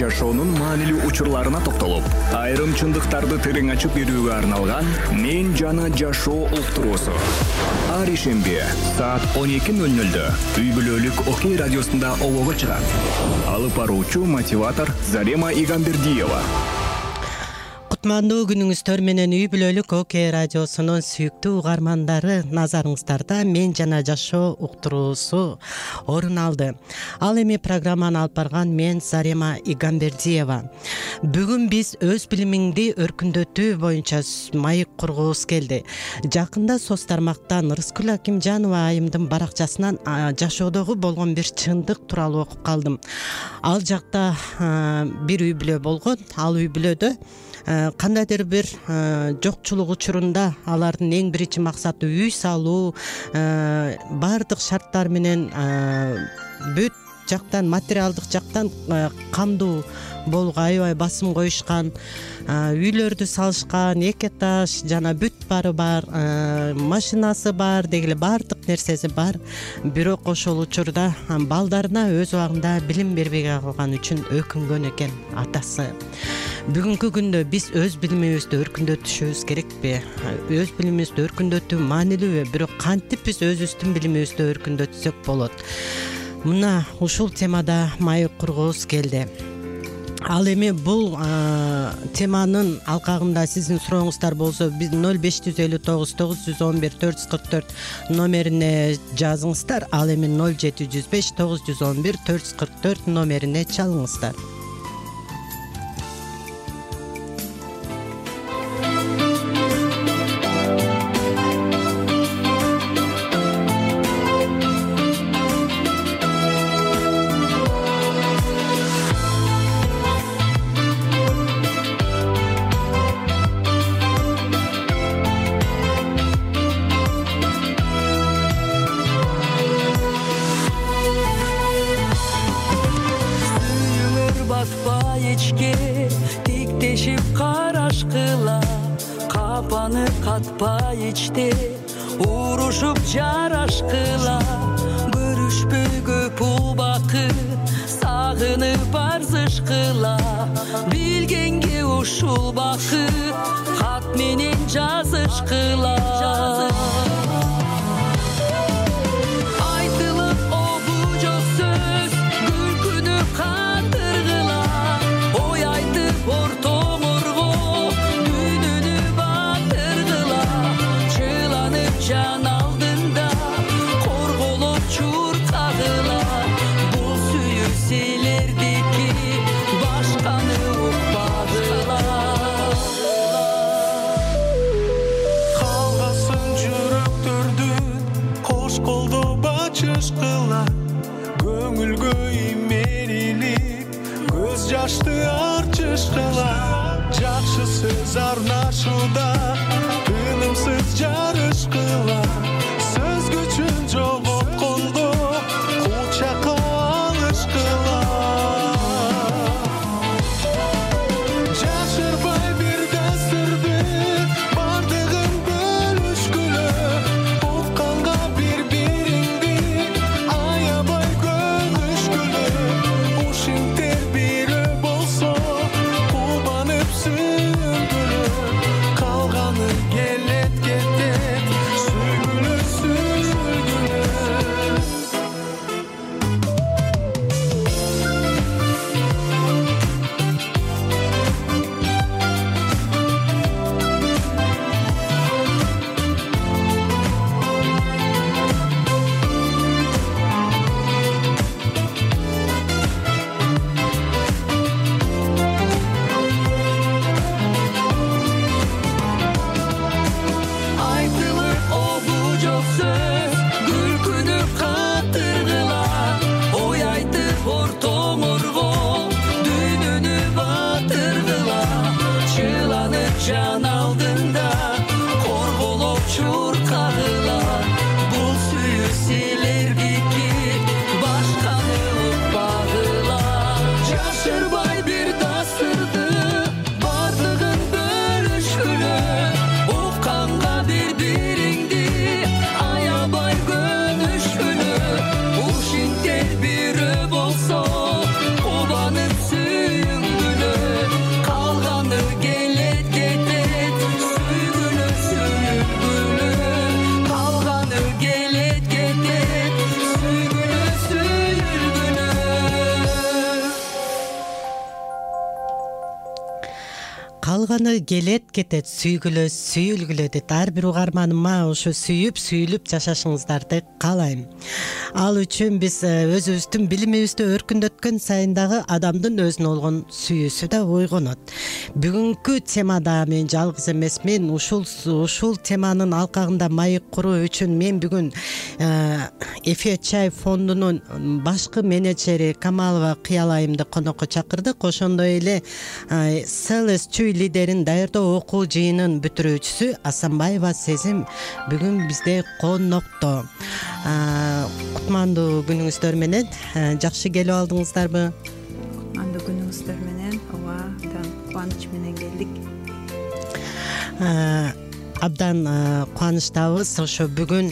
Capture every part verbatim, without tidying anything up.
жашоонун маанилүү учурларына токтолуп, айрым чындыктарды терең ачып берүүгө арналган «Мен жана жашоо» уктуруусу. Ар ишемби саат он эки ноль нольдө үй бүлөлүк Окей радиосунда обого чыгат. Алып баруучу мотиватор Зарема Игамбердиева. Кутмандуу күнүңүздөр менен үй бүлөлүк Окей радиосунун сүйүктүү угармандары, назарыңыздарда «Мен жана жашоо» уктуруусу орун алды. Ал эми программаны алып барган мен Зарема Игамбердиева. Бүгүн биз өз билимиңди өркүндөтүү боюнча маек кургубуз келди. Жакында соц тармактан Рыскүл Акимжанова айымдын баракчасынан жашоодогу болгон бир чындык тууралуу окуп калдым. Ал жакта бир үй бүлө болгон. Ал үй бүлөдө кандайдыр бир жокчулук учурунда алардын эң биринчи максаты үй салуу, баардык шарттар менен бүт жактан, материалдык жактан камдуу болууга аябай басым коюшкан, үйлөрдү салышкан, эки этаж жана бүт баары бар, машинасы бар, дегеле баардык нерсеси бар. Бирок ошол учурда балдарына өз убагында билим бербей калган үчүн өкүнгөн экен атасы. Бүгүнкү күндө биз өз билимибизди өркүндөтүшүбүз керекпи? Өз билимибизди өркүндөтүү маанилүүбү? Бирок кантип биз өзүбүздүн билимибизди өркүндөтсөк болот? Мына ушул темада маек кургубуз келди. Ал эми бул теманын алкагында сиздин сурооңуздар болсо, биз ноль беш жүз элүү тогуз тогуз жүз он бир төрт жүз кырк төрт номерине жазыңыздар. Ал эми ноль жети жүз беш тогуз жүз он бир төрт жүз кырк төрт номерине чалыңыздар. Катпай ичти урушуп жарашкыла, көрүшпөгө убакыт сагынып арзышкыла, билгенге ушул бакыт кат менен жазышкыла. Айтылып обу жок сөз күлкүнү катыргыла, ой айтып ортоңорго жан алдында корголоп чуркагыла, бул сүйүүселердики башканы укпагыла. Калгасын жүрөктөрдүн кош колдоо бачышкыла, көңүлгө имерилип көз жашты арчышкыла, жакшы сөз арнашууда тынымсыз жарышкыла, сөз күчүн жоготкондо кучакка алышкыла. Жашырбай бир дастурду бардыгын бөлүшкүлө, укканга бири бириңди аябай көгүшкүлө, ушинтер бирөө болсо кубанып сүйүнгүлө, калган калганы келет кетет, сүйгүлө сүйүлгүлө дейт. Ар бир угарманыма ошо сүйүп сүйүлүп жашашыңыздарды каалайм. Ал үчүн биз өзүбүздүн билимибизди өркүндөткөн сайын дагы адамдын өзүнө болгон сүйүүсү да ойгонот. Бүгүнкү темада мен жалгыз эмесмин. Ушул ушул теманын алкагында маек куруу үчүн мен бүгүн Эфе Чай фондунун башкы менеджери Камалова Кыялайымды конокко чакырдык. Ошондой эле Селес Чүй лидерин даярдоо окуу жыйынын бүтүрүүчүсү Асанбаева Сезим бүгүн бизде конокто. Кутмандуу күнүңүздөр менен. Жакшы келип алдыңыздарбы? Кутмандуу күнүңүздөр менен. Ооба, кубаныч менен келдик. Абдан кубанычтабыз. Ошо бүгүн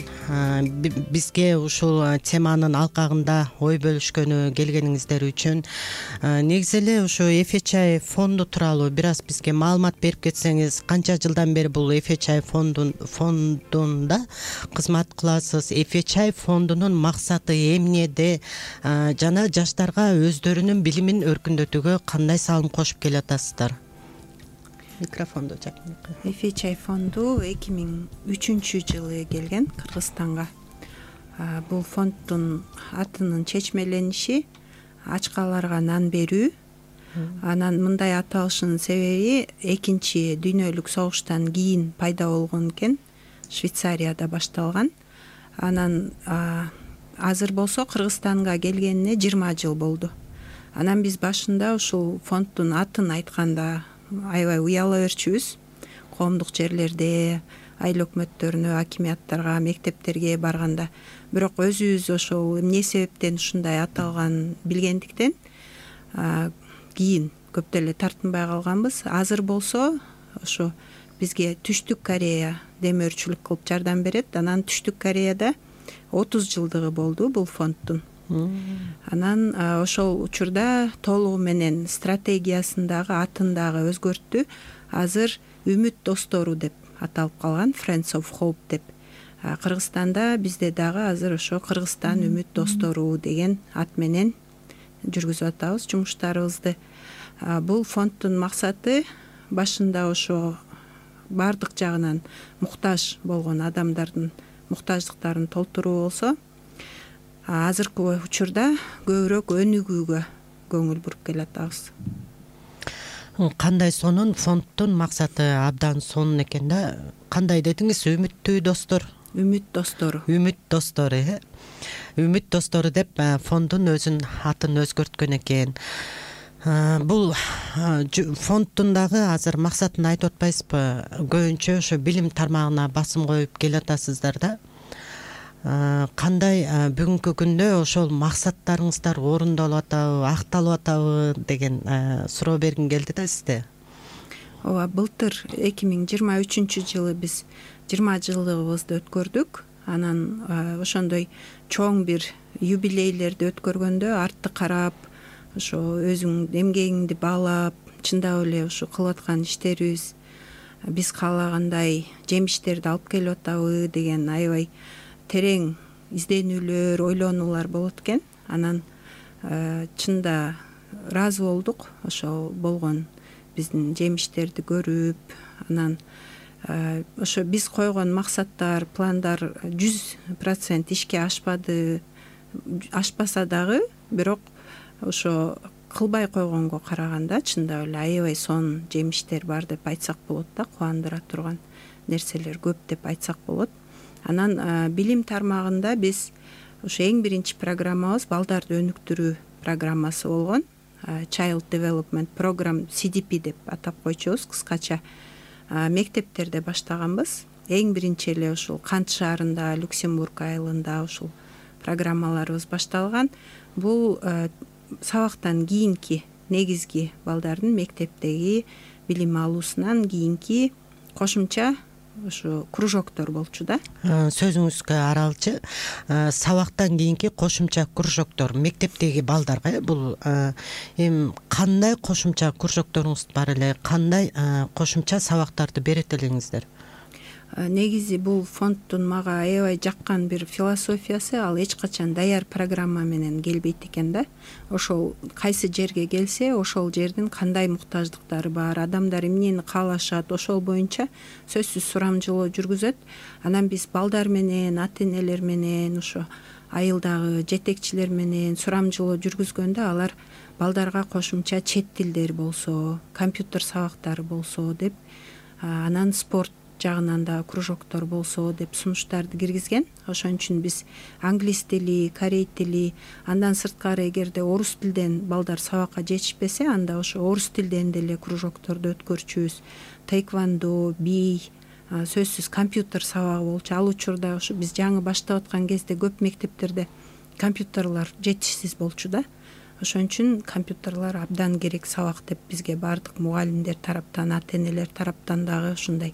бизге ушул теманын алкагында ой бөлүшкөнү келгениңиздер үчүн. Негизи эле ошо Эфе Чай фонду тууралуу бир аз бизге маалымат берип кетсеңиз, канча жылдан бери бул Эфе Чай фондун фондунда кызмат кыласыз? Эфе Чай фондунун максаты эмнеде жана жаштарга өздөрүнүн билимин өркүндөтүүгө кандай салым кошуп келатасыздар? Микрофонду жакынкы. Эфе Чай фонду эки миң үчүнчү жылы келген Кыргызстанга. Бул фонддун атынын чечмелениши ачкаларга нан берүү. Анан мындай аталышынын себеби экинчи дүйнөлүк согуштан кийин пайда болгон экен. Швейцарияда башталган. Анан азыр болсо Кыргызстанга келгенине жыйырма жыл болду. Анан биз башында ушул фонддун атын айтканда аябай уяла берчүбүз. Коомдук жерлерде, айыл өкмөттөрүнө, акимияттарга, мектептерге барганда, бирок өзүбүз ошол эмне себептен ушундай аталган билгендиктен кийин көп деле тартынбай калганбыз. Азыр болсо ошо бизге Түштүк Корея демөөрчүлүк кылып жардам берет. Анан Түштүк Кореяда отуз жылдыгы болду бул фонддун. Анан ошол учурда толугу менен стратегиясындагы атындагы өзгөрттү. Азыр Үмүт достору деп аталып калган, Friends of Hope деп. Кыргызстанда бизде дагы азыр ошо Кыргызстан Үмүт достору деген ат менен жүргүзүп атабыз жумуштарыбызды. Бул фонддун максаты башында ошо бардык жагынан муктаж болгон адамдардын муктаждыктарын толтуруу болсо, азыркы учурда көбүрөөк өнүгүүгө көңүл буруп келатабыз. Кандай сонун фонддун максаты абдан сонун экен да. Кандай дедиңиз? Үмүттүү достор. Үмүт достору. Үмүт достору, э. Үмүт достору деп фонддун өзүнүн атын өзгөрткөн экен. Бул фонддун дагы азыр максатын айтып атпайсызбы? Көбүнчө ошо билим тармагына басым коюп келатасыздар да. Кандай бүгүнкү күндө ошол максаттарыңыздар орундалып атабы, акталып атабы деген суроо бергим келди да сизде. Ооба, былтыр эки миң жыйырма үчүнчү жылы биз жыйырма жылдыгыбызды өткөрдүк. Анан ошондой чоң бир юбилейлерди өткөргөндө артты карап, ошо өзүң эмгегиңди баалап, чындап эле ушу кылып аткан иштерибиз биз каалагандай жемиштерди алып келип атабы деген аябай терең изденүүлөр, ойлонуулар болот экен. Анан чында ыраазы болдук ошол болгон биздин жемиштерди көрүп. Анан ошо биз койгон максаттар, пландар жүз процент ишке ашпады, ашпаса дагы, бирок ошо кылбай койгонго караганда чындап эле аябай сонун жемиштер бар деп айтсак болот да, кубандыра турган нерселер көп деп айтсак болот. Анан билим тармагында биз ошо эң биринчи программабыз балдарды өнүктүрүү программасы болгон. Child Development Program си ди пи деп атап койчубуз кыскача. Мектептерде баштаганбыз. Эң биринчи эле ушул Кант шаарында, Люксембург айылында ушул программаларыбыз башталган. Бул сабактан кийинки негизги балдардын мектептеги билим алуусунан кийинки кошумча ушу кружоктор болчу да. Сөзүңүзгө аралчы, сабактан кийинки кошумча кружоктор мектептеги балдарга бул эми кандай кошумча кружокторуңуз бар эле, кандай кошумча сабактарды берет элеңиздер? негизи бул фонддун мага аябай жаккан бир философиясы, ал эч качан даяр программа менен келбейт экен да. Ошол кайсы жерге келсе, ошол жердин кандай муктаждыктары бар, адамдар эмнени каалашат, ошол боюнча сөзсүз сурамжылоо жүргүзөт. Анан биз балдар менен, ата энелер менен, ошо айылдагы жетекчилер менен сурамжылоо жүргүзгөндө алар балдарга кошумча чет тилдер болсо, компьютер сабактары болсо деп, анан спорт жагынан да кружоктор болсо деп сунуштарды киргизген. Ошон үчүн биз англис тили, корей тили, андан сырткары эгерде орус тилден балдар сабакка жетишпесе, анда ошо орус тилден деле кружокторду өткөрчүбүз. Тейквондо, бий, сөзсүз компьютер сабагы болчу. Ал учурда ошо биз жаңы баштап аткан кезде көп мектептерде компьютерлар жетишсиз болчу да. Ошон үчүн компьютерлар абдан керек сабак деп бизге баардык мугалимдер тараптан, ата энелер тараптан дагы ушундай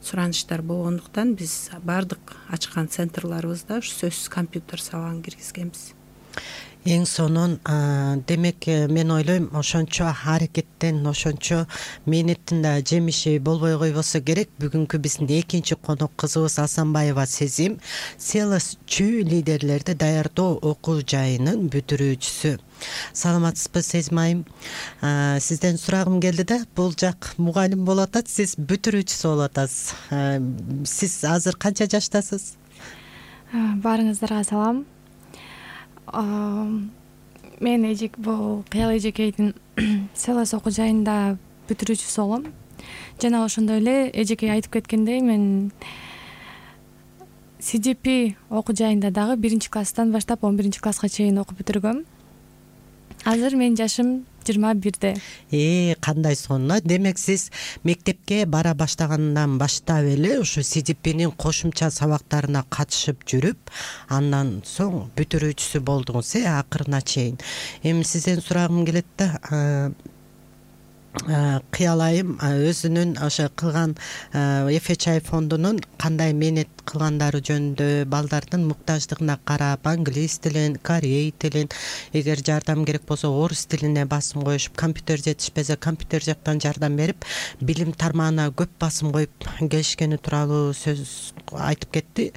сураныштар болгондуктан биз баардык ачкан центрларыбызда ушу сөзсүз компьютер сабагын киргизгенбиз. Эң сонун демек мен ойлойм ошончо аракеттен, ошончо мээнеттин да жемиши болбой койбосо керек. Бүгүнкү биздин экинчи конок кызыбыз Асанбаева Сезим Селос чүй лидерлерди даярдоо окуу жайынын бүтүрүүчүсү. Саламатсызбы Сезим айым? Сизден сурагым келди да, бул жак мугалим болуп атат, сиз бүтүрүүчүсү болуп атасыз. Сиз азыр канча жаштасыз? Баарыңыздарга салам. Мен эжек бул Кыял эжекейдин Селос окуу жайында бүтүрүүчүсү болом. Жана ошондой эле эжекей айтып кеткендей, мен си джи пи окуу жайында дагы биринчи класстан баштап он биринчи класска чейин окуп бүтүргөм. Азыр менин жашым жыйырма бирде. Э, кандай сонун. Демек сиз мектепке бара баштагандан баштап эле ушу си джи пинин кошумча сабактарына катышып жүрүп, андан соң бүтүрүүчүсү болдуңуз, э, акырына чейин. Эми сизден сурагым келет да, Кыял айым өзүнүн ошо кылган эф эч ай фондунун кандай мээнет кылгандары жөнүндө, балдардын муктаждыгына карап, англис тилин, корей тилин, эгер жардам керек болсо орус тилине басым коюшуп, компьютер жетишпесе компьютер жактан жардам берип, билим тармагына көп басым коюп келишкени тууралуу сөз айтып кетти.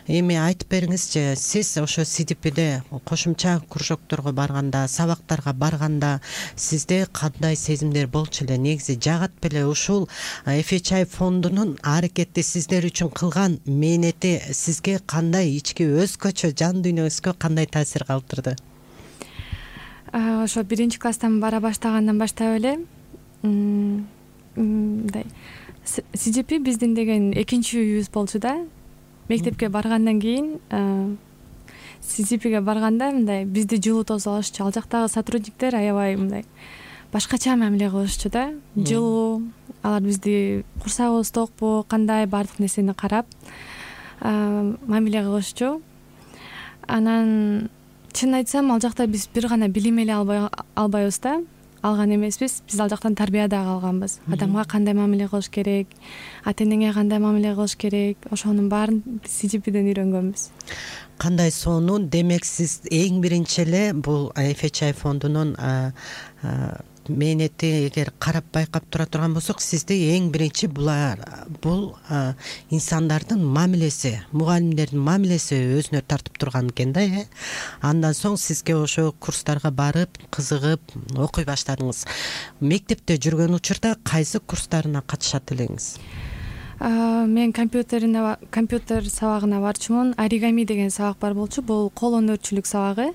Эми айтып бериңизчи, сиз ошо си джи пиде кошумча кружокторго барганда, сабактарга барганда сизде кандай сезимдер болчу эле? Негизи жагат беле ушул эф эч ай фондунун аракети сиздер үчүн кылган мээнети сизге кандай ички өзгөчө жан дүйнөңүзгө кандай таасир калтырды? Ошо биринчи класстан бара баштагандан баштап эле мындай си джи пи биздин деген экинчи үйүбүз болчу да. Мектепке баргандан кийин си джи пиге барганда мындай бизди жылуу тосуп алышчу. Ал жактагы сотрудниктер аябай мындай башкача мамиле кылышчу да. Жылуу, алар бизди курсагыбыз токпу, кандай баардык нерсени карап мамиле кылышчу. Анан чынын айтсам, ал жакта биз бир гана билим эле албайбыз да, алган эмеспиз. Биз ал жактан тарбия дагы алганбыз. Адамга кандай мамиле кылыш керек, ата энеңе кандай мамиле кылыш керек, ошонун баарын си джи пиден үйрөнгөнбүз. Кандай сонун. Демек сиз эң биринчи эле бул эф эч ай фондунун мээнети эгер карап байкап тура турган болсок, сизде эң биринчи булар бул инсандардын мамилеси, мугалимдердин мамилеси өзүнө тартып турган экен да, э. Андан соң сизге ошо курстарга барып, кызыгып окуй баштадыңыз. Мектепте жүргөн учурда кайсы курстарына катышат элеңиз? Мен компьютерине компьютер сабагына барчумун. Оригами деген сабак бар болчу. Бул кол өнөрчүлүк сабагы.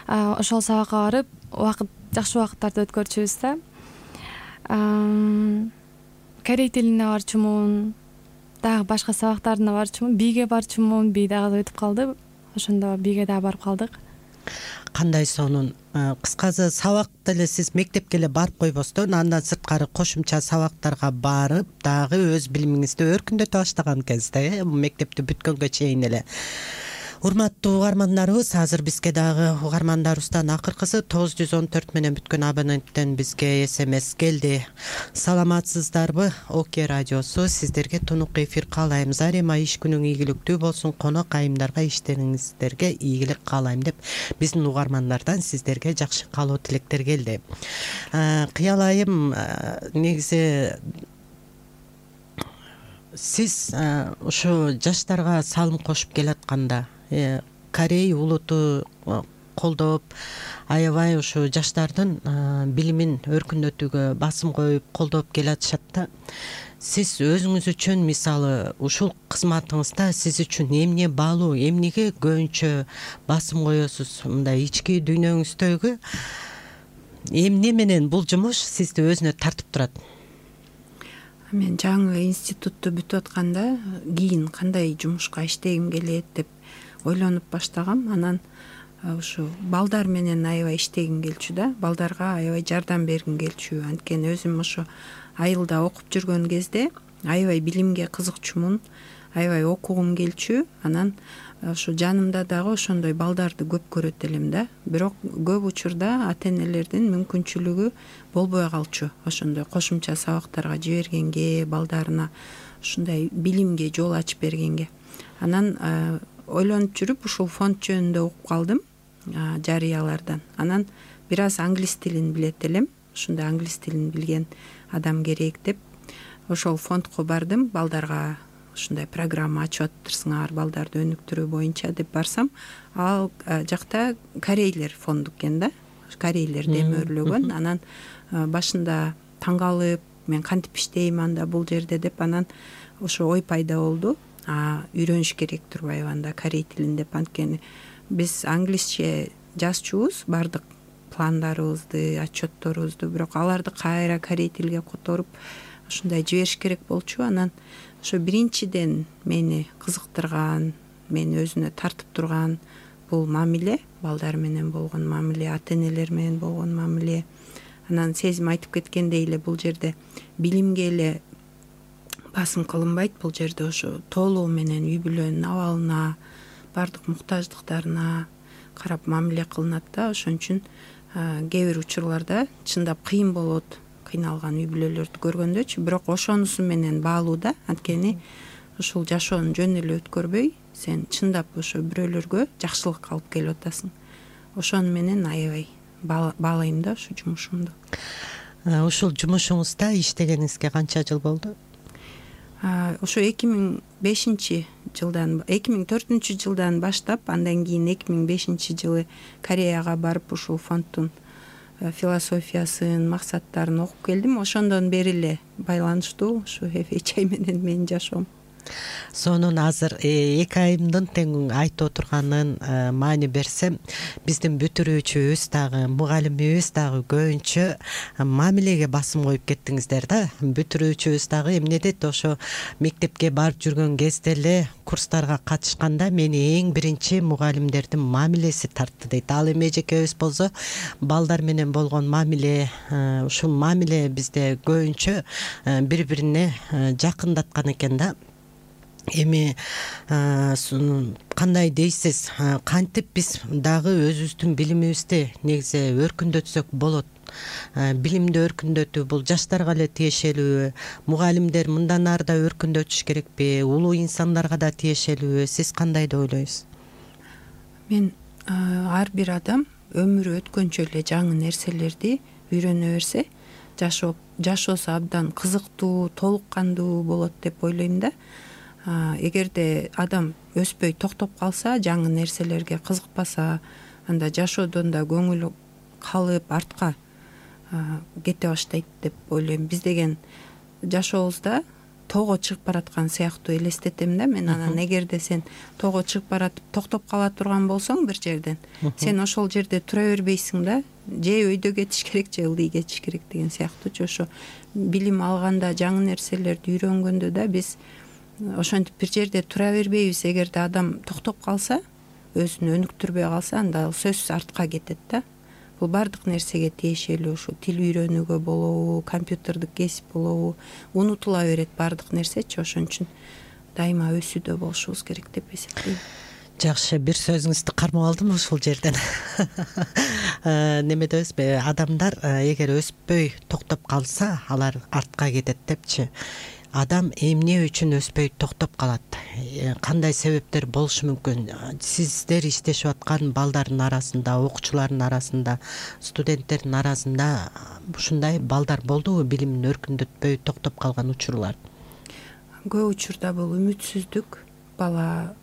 Ошол сабакка барып, убакыт жакшы убакыттарды өткөрчүбүз да. Корей тилине барчумун, дагы башка сабактарына барчумун, бийге барчумун, бий дагы өтүп калды. Ошондо бийге дагы барып калдык. Кандай сонун. Кыскасы сабак деле сиз мектепке эле барып койбостон, андан сырткары кошумча сабактарга барып, дагы өз билимиңизди өркүндөтө баштаган экенсиз да, э, мектепти бүткөнгө чейин эле. Урматтуу угармандарыбыз, азыр бизге дагы угармандарыбыздан акыркысы тогуз жүз он төрт менен бүткөн абоненттен бизге смс келди. Саламатсыздарбы? Оке радиосу сиздерге тунук эфир каалайм. Зарема иш күнүң ийгиликтүү болсун. Конок айымдарга иштериңиздерге ийгилик каалайм деп биздин угармандардан сиздерге жакшы каалоо тилектер келди. Кыял айым, негизи сиз ушу жаштарга салым кошуп келатканда Корей улуту колдоп, аябай ушу жаштардын билимин өркүндөтүүгө басым коюп колдоп келатышат да. Сиз өзүңүз үчүн мисалы ушул кызматыңызда сиз үчүн эмне баалуу, эмнеге көбүнчө басым коесуз? Мындай ички дүйнөңүздөгү эмне менен бул жумуш сизди өзүнө тартып турат? Мен жаңы институтту бүтүп атканда кийин кандай жумушка иштегим келет деп ойлонуп баштагам. Анан ушу балдар менен аябай иштегим келчү да, балдарга аябай жардам бергим келчү. Анткени өзүм ошо айылда окуп жүргөн кезде аябай билимге кызыкчумун, аябай окугум келчү. Анан ошо жанымда дагы ошондой балдарды көп көрөт элем да. Бирок көп учурда ата-энелердин мүмкүнчүлүгү болбой калчу. Ошондой кошумча сабактарга жибергенге, балдарына ушундай билимге жол ачып бергенге. Анан ойлонуп жүрүп ушул фонд жөнүндө угуп калдым жарыялардан. Анан бир аз англис тилин билет элем. Ушундай англис тилин билген адам керек деп ошол фондко бардым. Балдарга ушундай программа ачып атырсыңар, балдарды өнүктүрүү боюнча деп барсам, ал жакта корейлер фонду экен да. Корейлер демөрлөгөн. Анан башында таң калып, мен кантип иштейм анда бул жерде деп, анан ошо ой пайда болду. А үйрөнүш керек турбайбы анда корей тилин деп. Анткени биз англисче жазчубуз бардык пландарыбызды, отчетторубузду, бирок аларды кайра корей тилге которуп ушундай жибериш керек болчу. Анан ошо биринчиден мени кызыктырган, мени өзүнө тартып турган бул мамиле, балдар менен болгон мамиле, ата-энелер менен болгон мамиле. Анан Сезим айтып кеткендей эле бул жерде билимге эле басым кылынбайт. Бул жерде ошо толугу менен үй бүлөнүн абалына, бардык муктаждыктарына карап мамиле кылынат да. Ошон үчүн кээ бир учурларда чындап кыйын болот, кыйналган үй бүлөлөрдү көргөндөчү. Бирок ошонусу менен баалуу да. Анткени ушул жашоону жөн эле өткөрбөй, сен чындап ошо бирөөлөргө жакшылык алып келип атасың. Ошону менен аябай баалайм да ушу жумушумду. Ушул жумушуңузда иштегениңизге канча жыл болду? Ошо эки миң бешинчи жылдан, эки миң төртүнчү жылдан баштап, андан кийин эки миң бешинчи жылы Кореяга барып ушул фонддун философиясын, максаттарын окуп келдим. Ошондон бери эле байланыштуу ушу эф эйч ай менен менин жашоом. Сонун азыр эки айымдын тең айтып отурганын маани берсем, биздин бүтүрүүчүбүз дагы, мугалимибиз дагы көбүнчө мамилеге басым коюп кеттиңиздер да. Бүтүрүүчүбүз дагы эмне дейт, ошо мектепке барып жүргөн кезде эле курстарга катышканда мени эң биринчи мугалимдердин мамилеси тартты дейт. Ал эми эжекебиз болсо балдар менен болгон мамиле, ушул мамиле бизде көбүнчө бири бирине жакындаткан экен да. Эми кандай дейсиз, кантип биз дагы өзүбүздүн билимибизди негизи өркүндөтсөк болот? Билимди өркүндөтүү бул жаштарга эле тиешелүүбү? Мугалимдер мындан ары да өркүндөтүш керекпи? Улуу инсандарга да тиешелүүбү? Сиз кандай деп ойлойсуз? Мен ар бир адам өмүрү өткөнчө эле жаңы нерселерди үйрөнө берсе, жашоо жашоосу абдан кызыктуу, толук кандуу болот деп ойлойм да. Эгерде адам өспөй токтоп калса, жаңы нерселерге кызыкпаса, анда жашоодон да көңүлү калып артка кете баштайт деп ойлойм. Биз деген жашообузда тоого чыгып бараткан сыяктуу элестетем да мен. Анан эгерде сен тоого чыгып баратып токтоп кала турган болсоң бир жерден, сен ошол жерде тура бербейсиң да, же өйдө кетиш керек, же ылдый кетиш керек деген сыяктуучу. Ошо билим алганда, жаңы нерселерди үйрөнгөндө да биз ошентип бир жерде тура бербейбиз. Эгерде адам токтоп калса, өзүн өнүктүрбөй калса, анда сөзсүз артка кетет да. Бул бардык нерсеге тиешелүү, ушу тил үйрөнүүгө болобу, компьютердик кесип болобу, унутула берет бардык нерсечи. Ошон үчүн дайыма өсүүдө болушубуз керек деп эсептейм. Жакшы, бир сөзүңүздү кармап алдым ушул жерден. Неме дейсизби, адамдар эгер өспөй токтоп калса, алар артка кетет депчи. Адам эмне үчүн өспөй токтоп калат? Кандай себептер болушу мүмкүн? Сиздер иштешип аткан балдардын арасында, окуучулардын арасында, студенттердин арасында ушундай балдар болдубу билимин өркүндөтпөй токтоп калган учурлар? көп учурда бул үмүтсүздүк, бала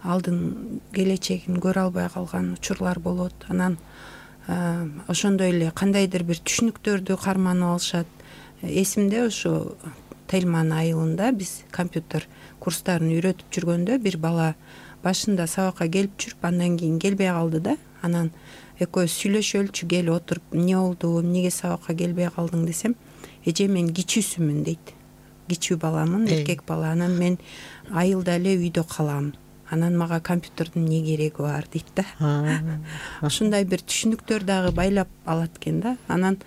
алдын келечегин көрө албай калган учурлар болот. Анан ошондой эле кандайдыр бир түшүнүктөрдү карманып алышат. Эсимде ошо Тельман айылында биз компьютер курстарын үйрөтүп жүргөндө бир бала башында сабакка келип жүрүп, андан кийин келбей калды да. Анан экөөбүз сүйлөшөлүчү, келип отуруп, эмне болду, эмнеге сабакка келбей калдың десем, эже мен кичүүсүмүн дейт. Кичүү баламын, эркек бала. Анан мен айылда эле үйдө калам. Анан мага компьютердин эмне кереги бар дейт да. Ушундай бир түшүнүктөр дагы байлап алат экен да. Анан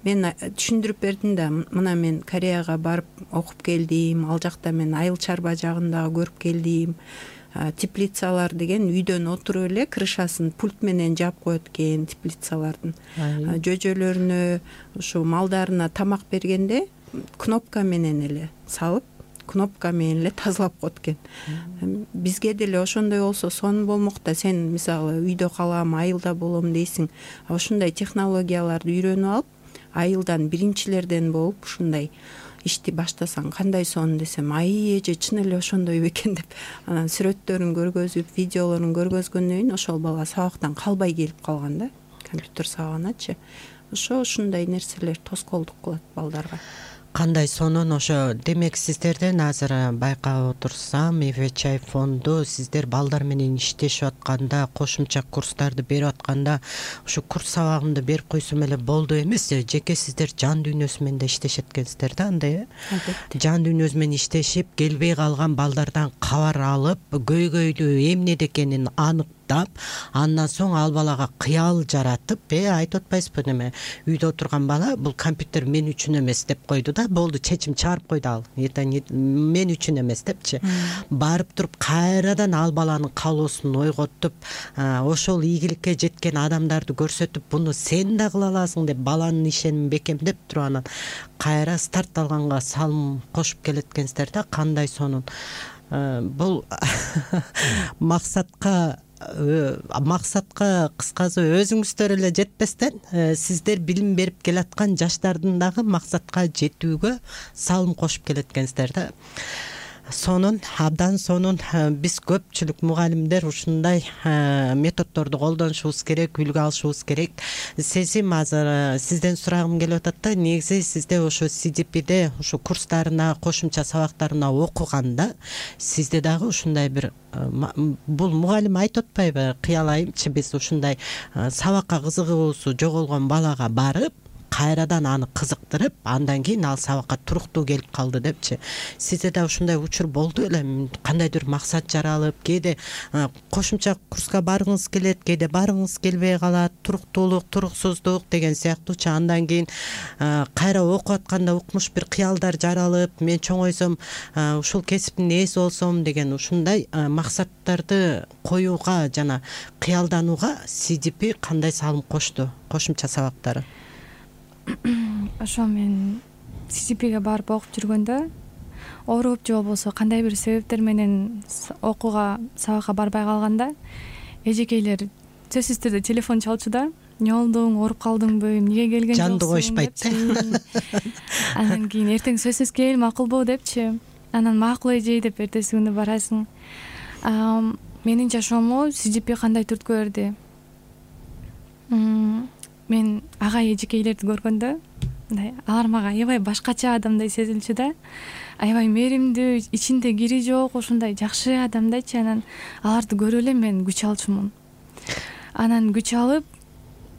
мен түшүндүрүп бердим да, мына мен Кореяга барып окуп келдим, ал жакта мен айыл чарба жагын дагы көрүп келдим. Теплицалар деген үйдөн отуруп эле крышасын пульт менен жаап коет экен теплицалардын. Жөжөлөрүнө, ушу малдарына тамак бергенде кнопка менен эле салып, кнопка менен эле тазалап коет экен. Бизге деле ошондой болсо сонун болмок да. Сен мисалы үйдө калам, айылда болом дейсиң. Ошондой технологияларды үйрөнүп алып, айылдан биринчилерден болуп ушундай ишти баштасаң кандай сонун десем, ай эже чын эле ошондой бекен деп, анан сүрөттөрүн көргөзүп, видеолорун көргөзгөндөн кийин ошол бала сабактан калбай келип калган да, компьютер сабагыначы. Ошо ушундай нерселер тоскоолдук кылат балдарга. Кандай сонун. Ошо демек сиздерден азыр байкап отурсам, Ивечай фонду сиздер балдар менен иштешип атканда, кошумча курстарды берип атканда, ушу курс сабагымды берип койсом эле болду эмес, жеке сиздер жан дүйнөсү менен да иштешет экенсиздер да, андай э? Албетте. Жан дүйнөсү менен иштешип, келбей калган балдардан кабар алып, көйгөйлүү эмнеде экенин анык, андан соң ал балага кыял жаратып, э айтып атпайсызбы, неме үйдө отурган бала бул компьютер мен үчүн эмес деп койду да, болду, чечим чыгарып койду ал. Это мен үчүн эмес депчи. Барып туруп кайрадан ал баланын каалоосун ойготуп, ошол ийгиликке жеткен адамдарды көрсөтүп, буну сен да кыла аласың деп баланын ишенимин бекемдеп туруп, анан кайра старт алганга салым кошуп келет экенсиздер да. Кандай сонун. Бул максатка максатка кыскасы өзүңүздөр эле жетпестен, сиздер билим берип келаткан жаштардын дагы максатка жетүүгө салым кошуп келет экенсиздер да. Сонун, абдан сонун. Биз көпчүлүк мугалимдер ушундай методдорду колдонушубуз керек, үлгү алышыбыз керек. Сезим азыр сизден сурагым келип атат да, негизи сизде ошо си ди пиде ушу курстарына, кошумча сабактарына окуганда, сизде дагы ушундай бир, бул мугалим айтып атпайбы, кыялайымчы, биз ушундай сабакка кызыгуусу жоголгон балага барып, кайрадан аны кызыктырып, андан кийин ал сабакка туруктуу келип калды депчи. Сизде да ушундай учур болду эле, кандайдыр максат жаралып, кээде кошумча курска баргыңыз келет, кээде баргыңыз келбей калат, туруктуулук, туруксуздук деген сыяктуучу. Андан кийин кайра окуп атканда укмуш бир кыялдар жаралып, мен чоңойсом ушул кесиптин ээси болсом деген ушундай максаттарды коюуга жана кыялданууга си ди пи кандай салым кошту, кошумча сабактары? Ошо мен си ди пиге барып окуп жүргөндө, ооруп же болбосо кандай бир себептер менен окууга, сабакка барбай калганда, эжекейлер сөзсүз түрдө телефон чалчу да. Эмне болдуң, ооруп калдыңбы, эмнеге келген жоксуң? Жанды койшпайт. Андан кийин эртең сөзсүз кел, макулбу депчи. Анан макул эже деп эртеси күнү барасың. Менин жашоомо си ди пи кандай түрткү берди? Мен агай эжекейлерди көргөндө, мындай алар мага аябай башкача адамдай сезилчү да. Аябай мээримдүү, ичинде кири жок, ушундай жакшы адамдайчы. Анан аларды көрүп эле мен күч алчумун. Анан күч алып,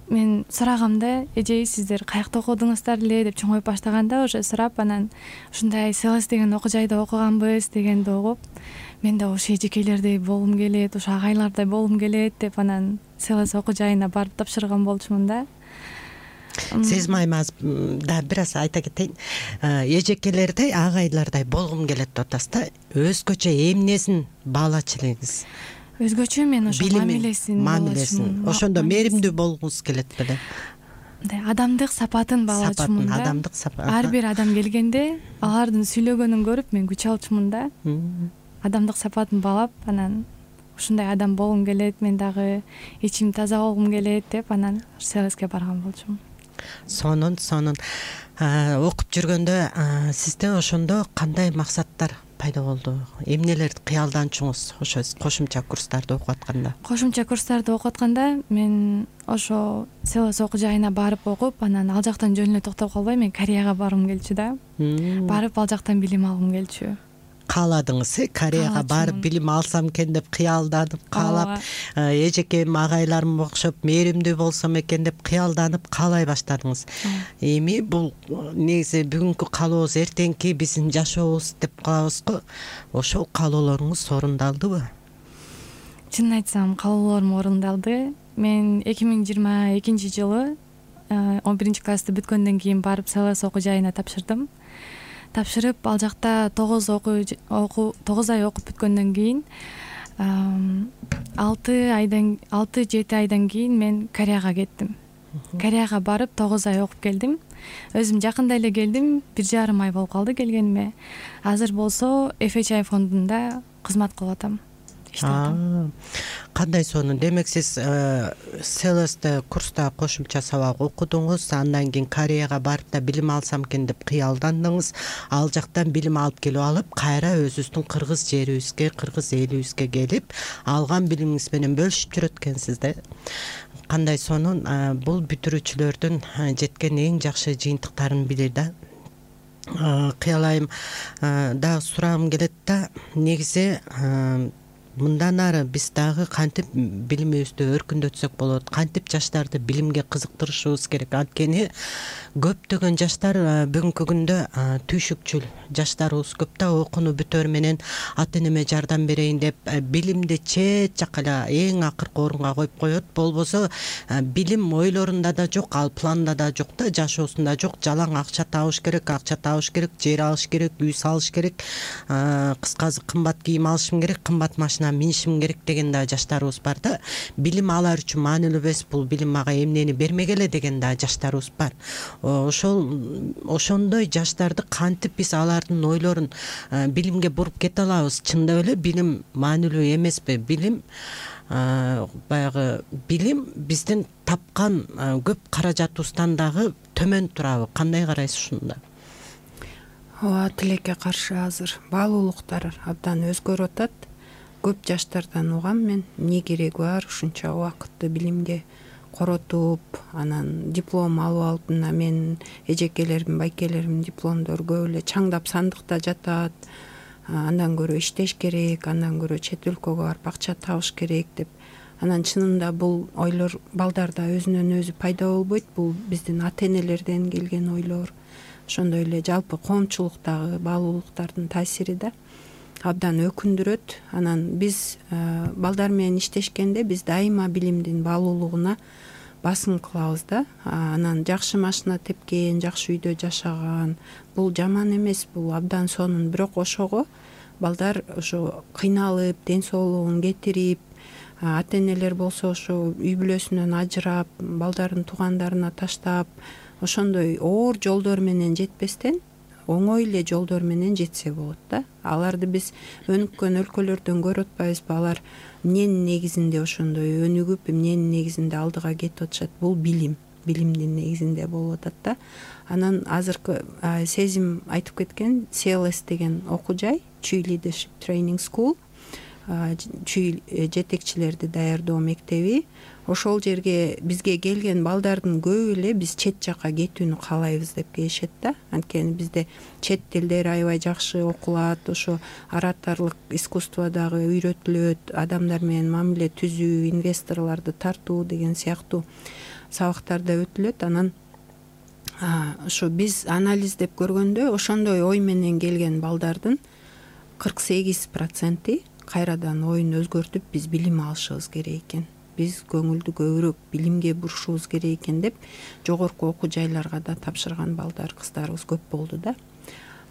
мен сурагамда, эже сиздер каякта окудуңуздар эле деп чоңоюп баштаганда, уже сурап, анан ушундай Селес деген окуу жайда окуганбыз дегенди угуп, мен да ошо эжекейлердей болгум келет, ошо агайлардай болгум келет деп, анан Селес окуу жайына барып тапшырган болчумун да. Сезим айым да бир аз айта кетейин. Эжекелердей, агайлардай болгум келет деп атасыз да. Өзгөчө эмнесин баалачу элеңиз? Өзгөчө мен ошо мамилесин, мамилесин. Ошондо мээримдүү болгуңуз келет беле? Мындай адамдык сапатын баалачумун да. Адамдык сапат. Ар бир адам келгенде алардын сүйлөгөнүн көрүп мен күч алчумун да. Адамдык сапатын баалап, анан ушундай адам болгум келет, мен дагы ичим таза болгум келет деп, анан Селеске барган болчумун. Сонун, сонун. Окуп жүргөндө сизде ошондо кандай максаттар пайда болду? Эмнелерди кыялданчуңуз ошо кошумча курстарды окуп атканда? Кошумча курстарды окуп атканда мен ошо селос окуу жайына барып окуп, анан ал жактан жөн эле токтоп калбай мен Кореяга баргым келчү да. Барып ал жактан билим алгым келчү. Кааладыңыз, э? Кореяга барып билим алсам экен деп кыялданып, каалап, эжекем агайларым окшоп мээримдүү болсом экен деп кыялданып каалай баштадыңыз. Эми бул негизи бүгүнкү каалообуз эртеңки биздин жашообуз деп калабыз го. Ошол каалоолоруңуз орундалдыбы? Чынын айтсам, каалоолорум орундалды. Мен эки миң жыйырма экинчи жылы он биринчи классты бүткөндөн кийин барып селос окуу жайына тапшырдым. Тапшырып, ал жакта тогуз окуу тогуз ай окуп бүткөндөн кийин алты айдан алты жети айдан кийин мен Кореяга кеттим. Кореяга барып тогуз ай окуп келдим. Өзүм жакында эле келдим, бир жарым ай болуп калды келгениме. Азыр болсо эф эйч ай фондунда кызмат кылып атам. Кандай сонун? Демек сиз селосте курста кошумча сабак окудуңуз, андан кийин Кореяга барып да билим алсам экен деп кыялдандыңыз. Ал жактан билим алып келип алып, кайра өзүбүздүн кыргыз жерибизге, кыргыз элибизге келип, алган билимиңиз менен бөлүшүп жүрөт экенсиз да. Кандай сонун? Бул бүтүрүүчүлөрдүн жеткен эң жакшы жыйынтыктарын билир да. Кыялайым дагы сурагым келет да, негизи мындан ары биз дагы кантип билимибизди өркүндөтсөк болот, кантип жаштарды билимге кызыктырышыбыз керек. Анткени көптөгөн жаштар бүгүнкү күндө түйшүкчүл жаштарыбыз көп да, окууну бүтөр менен ата-энеме жардам берейин деп билимди чет жакка эле эң акыркы орунга коюп коет. Болбосо билим ойлорунда да жок, ал планда да жок да, жашоосунда жок. Жалаң акча табыш керек, акча табыш керек, жер алыш керек, үй салыш керек, кыскасы кымбат кийим алышым керек, кымбат машина минишим керек деген да жаштарыбыз бар да. Билим алар үчүн маанилүү эмес, бул билим мага эмнени бермегеле деген да жаштарыбыз бар. Ошол ошондой жаштарды кантип биз алардын ойлорун билимге буруп кете алабыз? Чындап эле билим маанилүү эмеспи? Билим баягы билим биздин тапкан көп каражатыбыздан дагы төмөн турабы? Кандай карайсыз ушунда? Ооба, тилекке каршы азыр баалуулуктар абдан өзгөрүп атат. Көп жаштардан угам мен, эмне кереги бар ушунча убакытты билимге коротуп, анан диплом алып алып, мына мен эжекелерим, байкелерим дипломдор көп эле чаңдап сандыкта жатат. Андан көрө иштеш керек, андан көрө чет өлкөгө барып акча табыш керек деп. Анан чынында бул ойлор балдарда өзүнөн өзү пайда болбойт. Бул биздин ата-энелерден келген ойлор. Ошондой эле жалпы коомчулуктагы баалуулуктардын таасири да абдан өкүндүрөт. Анан биз балдар менен иштешкенде биз дайыма билимдин баалуулугуна басым кылабыз да. Анан жакшы машина тепкен, жакшы үйдө жашаган, бул жаман эмес, бул абдан сонун. Бирок ошого балдар ошо кыйналып, ден соолугун кетирип, ата-энелер болсо ошо үй бүлөсүнөн ажырап, балдарын туугандарына таштап, ошондой оор жолдор менен жетпестен оңой эле жолдор менен жетсе болот да. Аларды биз өнүккөн өлкөлөрдөн көрүп атпайбызбы? Алар эмненин негизинде ошондой өнүгүп, эмненин негизинде алдыга кетип атышат? Бул билим, билимдин негизинде болуп атат да. Анан азыркы Сезим айтып кеткен си эл эс деген окуу жай, Чүй Leadership Training School, чүй жетекчилерди даярдоо мектеби. Ошол жерге бизге келген балдардын көбү эле биз чет жакка кетүүнү каалайбыз деп келишет да. Анткени бизде чет тилдер аябай жакшы окулат, ошо ораторлук искусство дагы үйрөтүлөт, адамдар менен мамиле түзүү, инвесторлорду тартуу деген сыяктуу сабактар да өтүлөт. Анан ошо биз анализдеп көргөндө ошондой ой менен келген балдардын кырк сегиз проценти кайрадан оюн өзгөртүп биз билим алышыбыз керек экен, биз көңүлдү көбүрөөк билимге бурушубуз керек экен деп жогорку окуу жайларга да тапшырган балдар, кыздарыбыз көп болду да.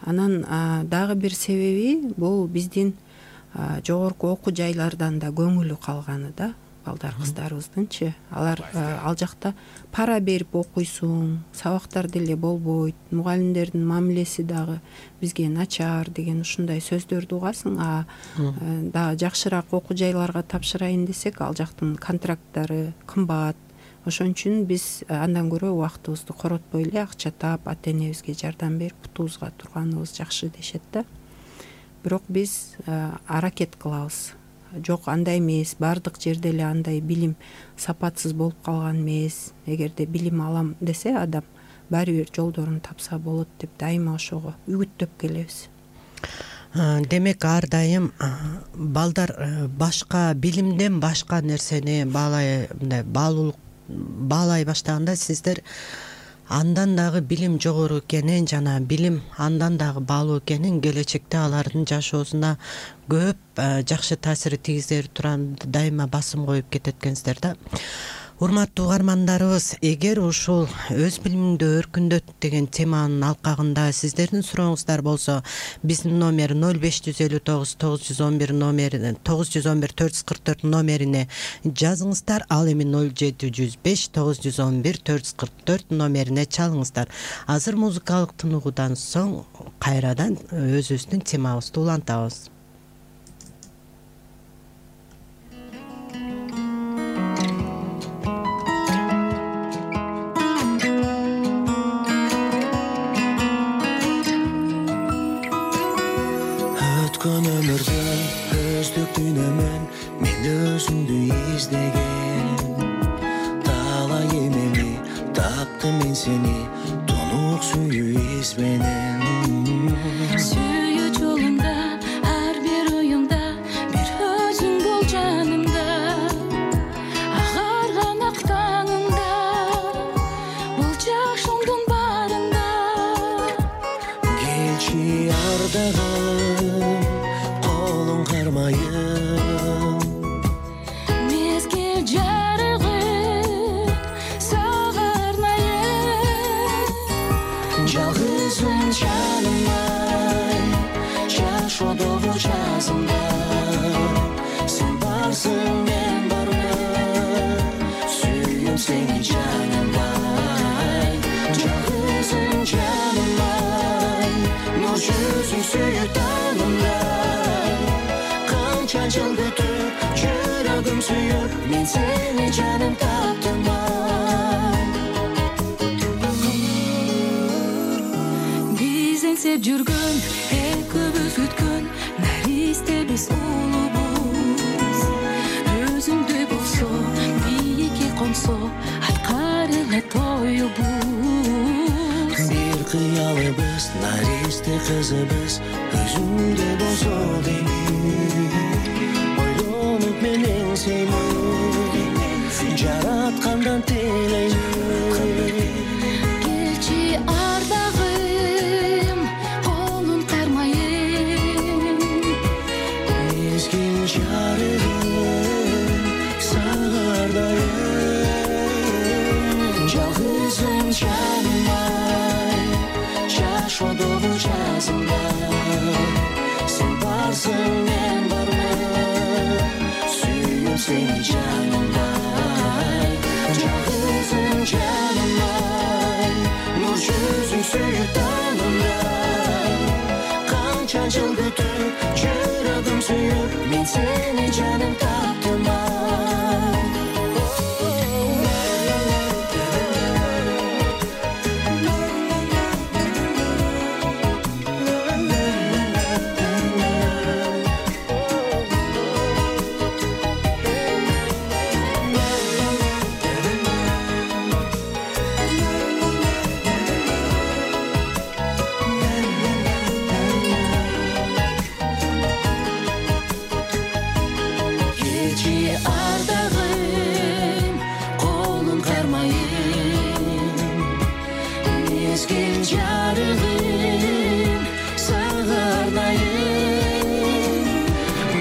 Анан дагы бир себеби бул биздин жогорку окуу жайлардан да көңүлү калганы да. Балдар, кыздарыбыздынчы, алар ал жакта пара берип окуйсуң, сабактар деле болбойт, мугалимдердин мамилеси дагы бизге начар деген ушундай сөздөрдү угасың. А дагы жакшыраак окуу жайларга тапшырайын десек, ал жактын контракттары кымбат. Ошон үчүн биз андан көрө убактыбызды коротпой эле акча таап, ата-энебизге жардам берип, путубузга турганыбыз жакшы дешет да. бирок биз аракет кылабыз. Жок, андай эмес, баардык жерде эле андай билим сапатсыз болуп калган эмес. Эгерде билим алам десе адам баары бир жолдорун тапса болот деп дайыма ошого үгүттөп келебиз. Демек ар дайым балдар башка билимден башка нерсени баалай мындай баалуулук баалай баштаганда сиздер андан дагы билим жогору экенин жана билим андан дагы баалуу экенин, келечекте алардын жашоосуна көп жакшы таасир тийгизер турган дайыма басым коюп кетет экенсиздер да. Урматтуу угармандарыбыз, эгер ушул өз билимиңди өркүндөт деген теманын алкагында сиздердин сурооңуздар болсо, биздин номер ноль беш жүз элүү тогуз тогуз жүз он бир номерине тогуз жүз он бир төрт жүз кырк төрт номерине жазыңыздар. Ал эми ноль жети жүз беш тогуз жүз он бир төрт жүз кырк төрт номерине чалыңыздар. Азыр музыкалык тыныгуудан соң кайрадан өзүбүздүн темабызды улантабыз. Өмүрдөн өздүктүн эмен мен өзүмдү издеген, талай эмеми таптым мен сени тунук сүйүү из менен. Сүйүү жолунда ар бир оюмда бир өзүң бол жанымда, агарган ак таңымда бул жашоомдун баарында. Келчи ардагым колуң кармайым, мезгил жарыгым сага арнайым. жалгызым жаным ай, жашоодогу жазымда сен барсың мен бармын, сүйүм сени жаным ай. Жалгызым жаным ай, нур жүзүң сүйүп таңымдай, канча жыл күтүп жүрөгүм сүйүп мен сени жаным таптым ай. Биз эңсеп жүргөн экөөбүз күткөн наристе биз улубуз, өзүңдөй болсо бийикке консо аткарылат оюбуз. Бир кыялыбыз наристе кызыбыз өзүңдөй болсо деймин, ойлонуп менен сени жараткандан тилеймин. Келчи ардагым колун кармайым, Мезгил жарыгым сага ардайым. Жалгызым жаным ай, жашоодогу жазымда сен барсың мен бармын, сүйүм сени жаным ай. Жалгызым жаным ай, нур жүзүң сүйүп таңымдай, канча жыл күтүп жүрөгүм сүйүп мен сени жаным таптым ай. Келчи ардагым колун кармайым, мезгил жарыгым сага арнайым.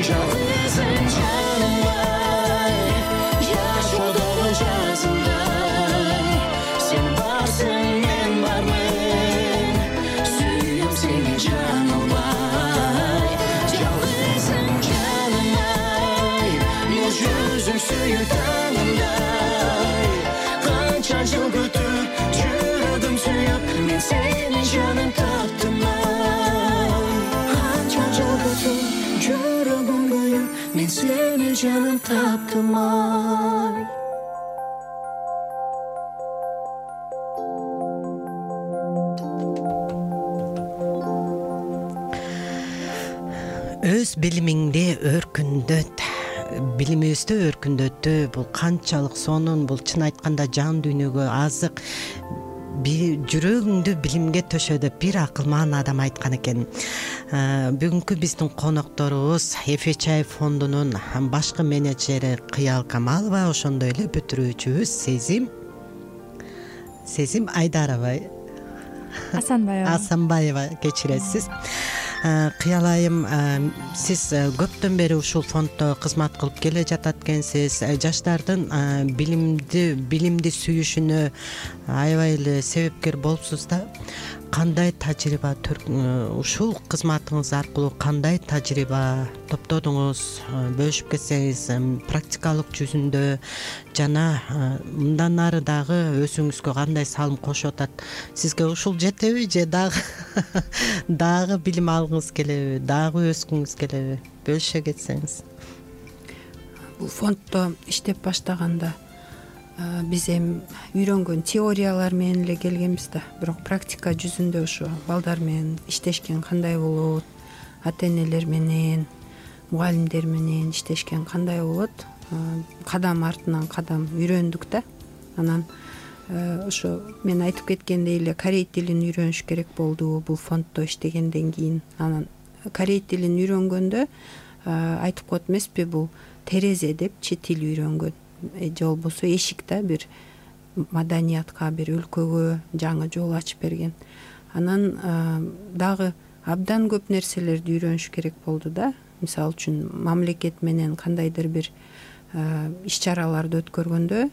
Жалгызым жаным ай, жашоодогу жазымдай, сен барсың мен бармын, сүйүм сени жаным ай. Жалгызым жаным ай, нур жүзүң сүйүп таңымдай, канча жыл күтүп жүрөгүм сүйүп мен сени жаным таптым ай. Канча жыл күтүп жүрөгүм күйүп мен сени жаным таптым ай. өз билимиңди өркүндөт, билимибизди өркүндөттү. Бул канчалык сонун, бул чын айтканда жан дүйнөгө азык. Жүрөгүңдү билимге төшө деп бир акылман адам айткан экен. Бүгүнкү биздин конокторубуз Эфечаев фондунун башкы менеджери Кыял Камалова, ошондой эле бүтүрүүчүбүз Сезим Сезим Айдарова Асанбаева Асанбаева кечиресиз. Кыял айым, сиз көптөн бери ушул фонддо кызмат кылып келе жатат экенсиз. Жаштардын билимди билимди сүйүшүнө аябай эле себепкер болупсуз да. Кандай тажрыйба ушул кызматыңыз аркылуу кандай тажрыйба топтодуңуз, бөлүшүп кетсеңиз, практикалык жүзүндө жана мындан ары дагы өзүңүзгө кандай салым кошуп атат? Сизге ушул жетеби же дагы дагы билим алгыңыз келеби, дагы өскүңүз келеби? Бөлүшө кетсеңиз. Бул фонддо иштеп баштаганда биз эми үйрөнгөн теориялар менен эле келгенбиз да, бирок практика жүзүндө ошо балдар менен иштешкен кандай болот, ата энелер менен, мугалимдер менен иштешкен кандай болот, кадам артынан кадам үйрөндүк да. Анан ошо мен айтып кеткендей эле корей тилин үйрөнүш керек болду бул фонддо иштегенден кийин. Анан корей тилин үйрөнгөндө айтып коет эмеспи, бул терезе депчи тил үйрөнгөн, же болбосо эшик да, бир маданиятка, бир өлкөгө жаңы жол ачып берген. Анан дагы абдан көп нерселерди үйрөнүш керек болду да. Мисалы үчүн мамлекет менен кандайдыр бир иш чараларды өткөргөндө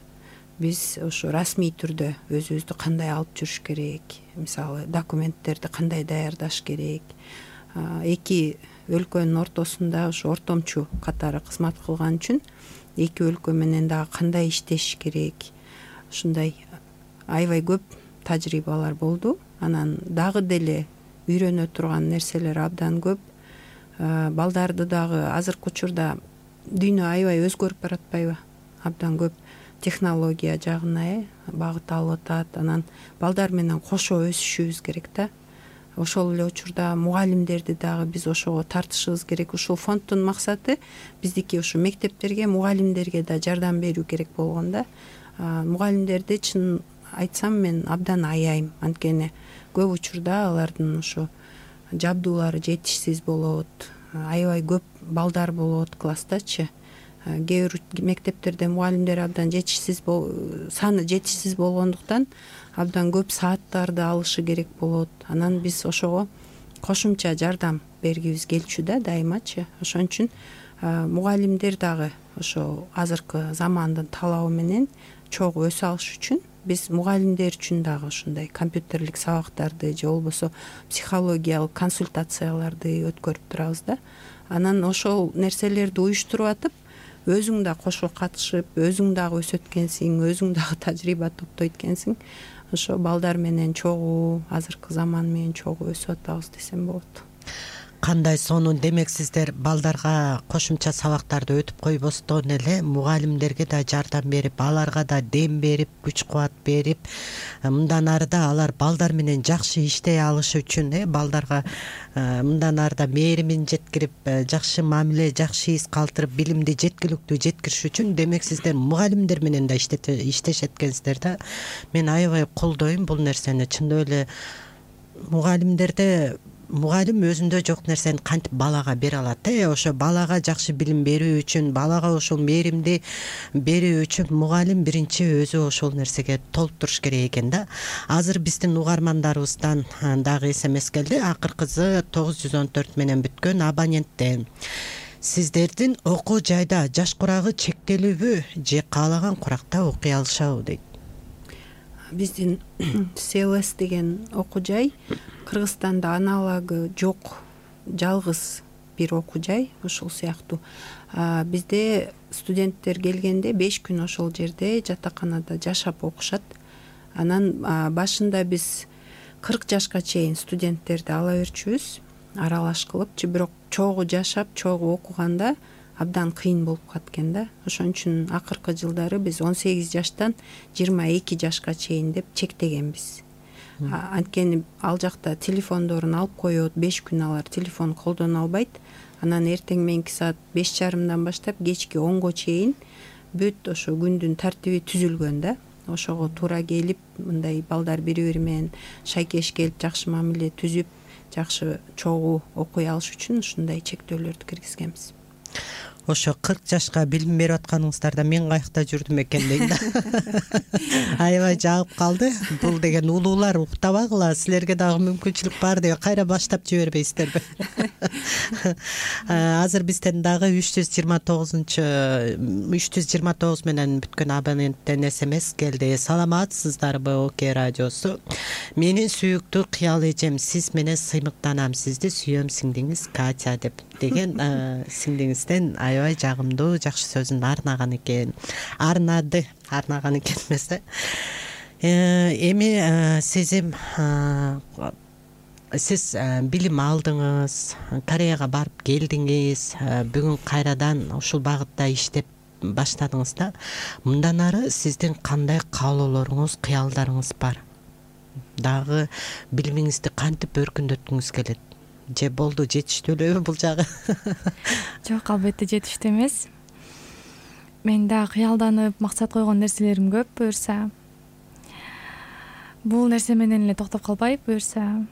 биз ошо расмий түрдө өзүбүздү кандай алып жүрүш керек, мисалы документтерди кандай даярдаш керек, эки өлкөнүн ортосунда ошо ортомчу катары кызмат кылган үчүн эки өлкө менен дагы кандай иштешиш керек, ушундай аябай көп тажрыйбалар болду. Анан дагы деле үйрөнө турган нерселер абдан көп. Балдарды дагы азыркы учурда дүйнө аябай өзгөрүп баратпайбы? Абдан көп технология жагына багыт алып атат. Анан балдар менен кошо өсүшүбүз керек да. Ошол эле учурда мугалимдерди дагы биз ошого тартышыбыз керек. Ушул фонддун максаты биздики ушу мектептерге, мугалимдерге да жардам берүү керек болгон да. Мугалимдерди чын айтсам мен абдан аяйм, анткени көп учурда алардын ошо жабдуулары жетишсиз болот, аябай көп балдар болот класстачы. Кээ бир мектептерде мугалимдер абдан жетишсиз, саны жетишсиз болгондуктан абдан көп сааттарды алышы керек болот. Анан биз ошого кошумча жардам бергибиз келчү да дайымачы. Ошон үчүн мугалимдер дагы ошо азыркы замандын талабы менен чогуу өсө алыш үчүн биз мугалимдер үчүн дагы ушундай компьютерлик сабактарды же болбосо психологиялык консультацияларды өткөрүп турабыз да. Анан ошол нерселерди уюштуруп атып, өзүң да кошо катышып, өзүң дагы өсөт экенсиң, өзүң дагы тажрыйба топтойт экенсиң. Ошо балдар менен чогуу, азыркы заман менен чогуу өсүп атабыз десем болот. Кандай сонун, демек сиздер балдарга кошумча сабактарды өтүп койбостон эле мугалимдерге да жардам берип, аларга да дем берип, күч кубат берип, мындан ары да алар балдар менен жакшы иштей алышы үчүн, э балдарга мындан ары да мээримин жеткирип, жакшы мамиле, жакшы из калтырып, билимди жеткиликтүү жеткириш үчүн демек сиздер мугалимдер менен да иштешет экенсиздер да. Мен аябай колдойм бул нерсени. Чындап эле мугалимдерде мугалим өзүндө жок нерсени кантип балага бере алат, э ошо балага жакшы билим берүү үчүн, балага ошол мээримди берүү үчүн мугалим биринчи өзү ошол нерсеге толуктуруш керек экен да. Азыр биздин угармандарыбыздан дагы эс эм эс келди. Акыркысы тогуз жүз он төрт менен бүткөн абоненттен. Сиздердин окуу жайда жаш курагы чектелүүбү же каалаган куракта окуй алышабы дейт. Биздин СЛС деген окуу жай Кыргызстанда аналогу жок, жалгыз бир окуу жай. Ошол сыяктуу бизде студенттер келгенде беш күн ошол жерде жатаканада жашап окушат. Анан башында биз кырк жашка чейин студенттерди ала берчүбүз, аралаш кылыпчы, бирок чогуу жашап, чогуу окуганда абдан кыйын болуп калат экен да. Ошон үчүн акыркы жылдары биз он сегиз жаштан жыйырма эки жашка чейин деп чектегенбиз. Анткени ал жакта телефондорун алып коет, беш күн алар телефон колдоно албайт. Анан эртең мененки саат беш жарымдан баштап кечки онго чейин бүт ошо күндүн тартиби түзүлгөн да. Ошого туура келип, мындай балдар бири-бири менен шайкеш келип, жакшы мамиле түзүп, жакшы чогуу окуй алыш үчүн ушундай чектөөлөрдү киргизгенбиз. Ошо кырк жашка билим берип атканыңыздарда мен каякта жүрдүм экен дейм да. Аябай жагып калды. Бул деген улуулар уктабагыла, силерге дагы мүмкүнчүлүк бар деп кайра баштап жибербейсиздерби? Азыр бизден дагы үч жүз жыйырма тогузунчу үч жүз жыйырма тогуз менен бүткөн абоненттен смс келди. Саламатсыздарбы Оке радиосу? Менин сүйүктүү кыял эжем, сиз менен сыймыктанам, сизди сүйөм сиңдиңиз Катя деп деген сиңдиңизден аябай жагымдуу жакшы сөзүн арнаган экен. Арнады, арнаган экен эмесе. Эми сезим сиз билим алдыңыз, Кореяга барып келдиңиз, бүгүн кайрадан ушул багытта иштеп баштадыңыз да. Мындан ары сиздин кандай каалоолоруңуз, кыялдарыңыз бар? Дагы билимиңизди кантип өркүндөткүңүз келет? Же болду, жетиштүү элеби бул жагы? Жок, албетте жетиштүү эмес. Мен да кыялданып, максат койгон нерселерим көп, буюрса. Бул нерсе менен эле токтоп калбай, буюрса.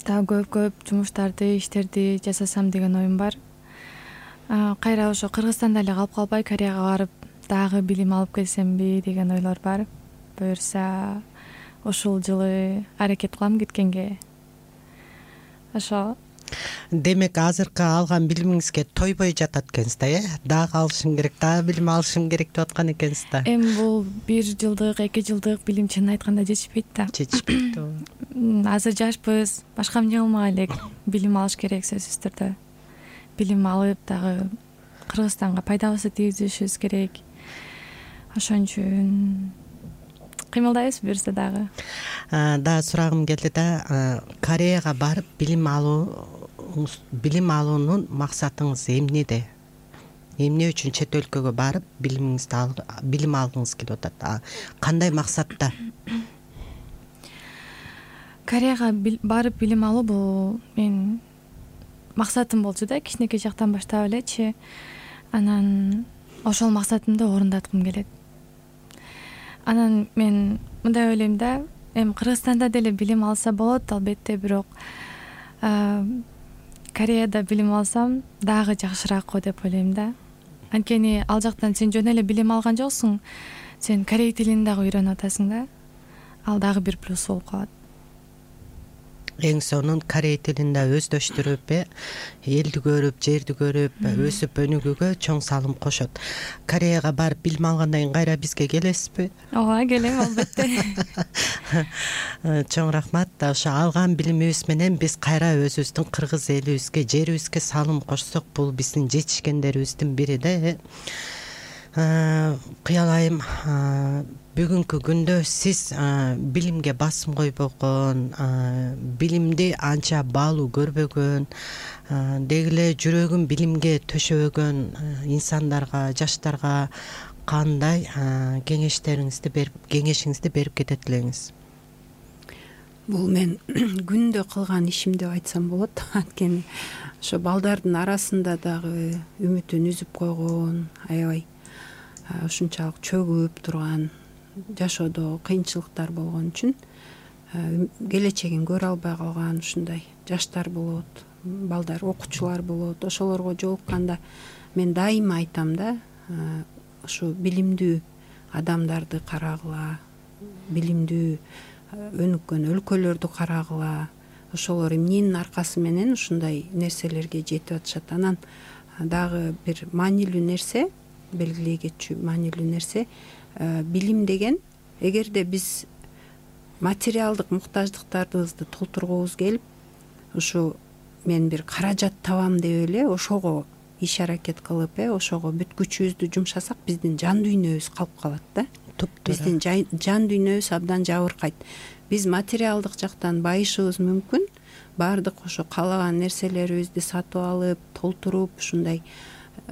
Дагы көп-көп жумуштарды, иштерди жасасам деген оюм бар. Кайра ошо Кыргызстанда эле калып калбай, Кореяга барып, дагы билим алып келсемби деген ойлор бар. Буюрса, ушул жылы аракет кылам кеткенге. Ошо. Демек, азыркы алган билимиңизге тойбой жатат экенсиз да, э? Дагы алышым керек, дагы билим алышым керек деп аткан экенсиз да. Эми бул бир жылдык, эки жылдык билим чынын айтканда жетишпейт да. Жетишпейт да. Азыр жашпыз, башка эмне кылмак элек? Билим алыш керек сөзсүз түрдө. Билим алып дагы Кыргызстанга пайдабызды тийгизишибиз керек. Ошон үчүн кыймылдайбыз буюрса дагы. Да, сурагым келди да, Кореяга барып билим алуу, билим алуунун максатыңыз эмнеде? Эмне үчүн чет өлкөгө барып билимиңизди билим алгыңыз келип атат? Кандай максатта? Кореяга барып билим алуу бул мен максатым болчу да, кичинекей жактан баштап элечи. Анан ошол максатымды орундаткым келет. Анан мен мындай ойлойм да, эми Кыргызстанда деле билим алса болот, албетте, бирок Кореяда билим алсам дагы жакшыраак го деп ойлойм да. Анткени ал жактан сен жөн эле билим алган жоксуң, сен корей тилин дагы үйрөнүп атасың да. Ал дагы бир плюс болуп калат. Эң сонун корей тилинде өздөштүрүп, элди көрүп, жерди көрүп, өсүп өнүгүүгө чоң салым кошот. Кореяга барып билим алгандан кийин кайра бизге келесизби? Ооба, келем, албетте. Чоң рахмат. Ошо алган билимибиз менен биз кайра өзүбүздүн кыргыз элибизге, жерибизге салым кошсок, бул биздин жетишкендерибиздин бири да. Кыял айым, бүгүнкү күндө сиз билимге басым койбогон, билимди анча баалуу көрбөгөн, деги эле жүрөгүн билимге төшөбөгөн инсандарга, жаштарга кандай кеңештериңизди берип, кеңешиңизди берип кетет элеңиз? Бул мен күндө кылган ишим деп айтсам болот. Анткени ошо балдардын арасында дагы үмүтүн үзүп койгон, аябай ушунчалык чөгүп турган, жашоодо кыйынчылыктар болгон үчүн келечегин көрө албай калган ушундай жаштар болот, балдар, окуучулар болот. Ошолорго жолукканда мен дайыма айтам да, ушу билимдүү адамдарды карагыла, билимдүү өнүккөн өлкөлөрдү карагыла. Ошолор эмненин аркасы менен ушундай нерселерге жетип атышат. Анан дагы бир маанилүү нерсе, белгилей кетчү маанилүү нерсе, билим деген, эгерде биз материалдык муктаждыктарыбызды толтургубуз келип, ушу мен бир каражат табам деп эле ошого иш аракет кылып, ошого бүт күчүбүздү жумшасак, биздин жан дүйнөбүз калып калат да. Биздин жан дүйнөбүз абдан жабыркайт. Биз материалдык жактан байышыбыз мүмкүн, баардык ошо каалаган нерселерибизди сатып алып, толтуруп, ушундай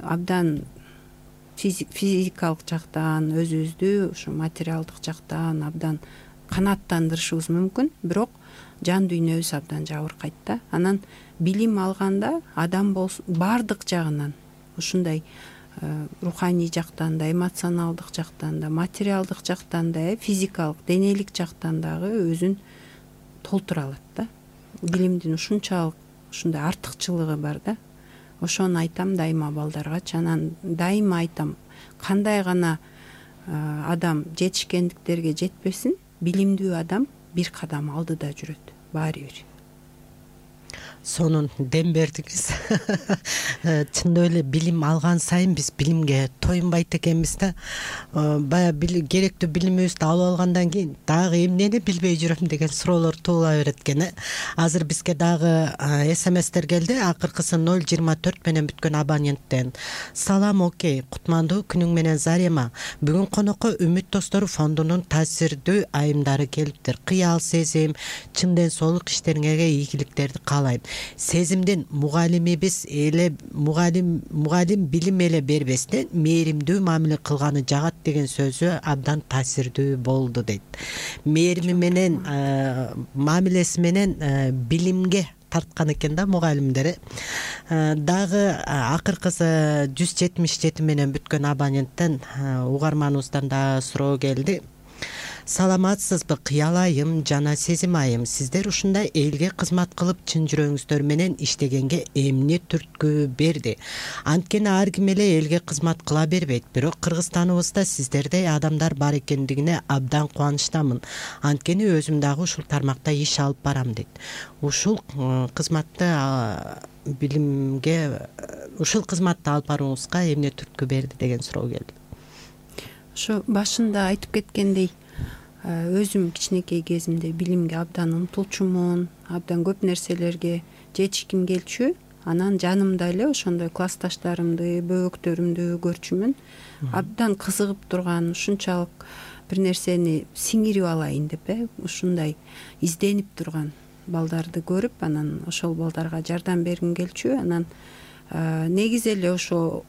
абдан физикалык жактан, өзүбүздү ушу материалдык жактан абдан канааттандырышыбыз мүмкүн, бирок жан дүйнөбүз абдан жабыркайт да. Анан билим алганда адам болсун баардык жагынан, ушундай руханий жактан да, эмоционалдык жактан да, материалдык жактан да, физикалык, денелик жактан дагы өзүн толтура алат да. Билимдин ушунчалык ушундай артыкчылыгы бар да. Ошону айтам дайыма балдаргачы. Анан дайыма айтам, кандай гана адам жетишкендиктерге жетпесин, билимдүү адам бир кадам алдыда жүрөт баары бир. Сонун дем бердиңиз. Чындап эле билим алган сайын биз билимге тоюнбайт экенбиз да. Баягы керектүү билимибизди алып алгандан кийин дагы эмнени билбей жүрөм деген суроолор туула берет экен. Азыр бизге дагы смстер келди. Акыркысы ноль жыйырма төрт менен бүткөн абоненттен. Салам, окей, кутмандуу күнүң менен Зарема. Бүгүн конокко Үмүт достору фондунун таасирдүү айымдары келиптир. Кыял, сезим, чын ден соолук иштериңерге ийгиликтерди каалайм. Сезимдин мугалимибиз эле мугалим мугалим билим эле бербестен мээримдүү мамиле кылганы жагат деген сөзү абдан таасирдүү болду дейт. Мээрими менен мамилеси менен билимге тарткан экен да мугалимдери. Дагы акыркысы жүз жетимиш жети менен бүткөн абоненттен угарманыбыздан дагы суроо келди. Саламатсызбы Кыял айым жана Сезим айым, сиздер ушундай элге кызмат кылып чын жүрөгүңүздөр менен иштегенге эмне түрткү берди? Анткени ар ким эле элге кызмат кыла бербейт, бирок Кыргызстаныбызда сиздердей адамдар бар экендигине абдан кубанычтамын. Анткени өзүм дагы ушул тармакта иш алып барам дейт. Ушул кызматты билимге ушул кызматты алып барууңузга эмне түрткү берди деген суроо келди. Ошо башында айтып кеткендей, өзүм кичинекей кезимде билимге абдан умтулчумун, абдан көп нерселерге жетишким келчү. Анан жанымда эле ошондой классташтарымды, бөбөктөрүмдү көрчүмүн. Абдан кызыгып турган, ушунчалык бир нерсени сиңирип алайын деп, ушундай изденип турган балдарды көрүп, анан ошол балдарга жардам бергим келчү. Анан негизи эле ошо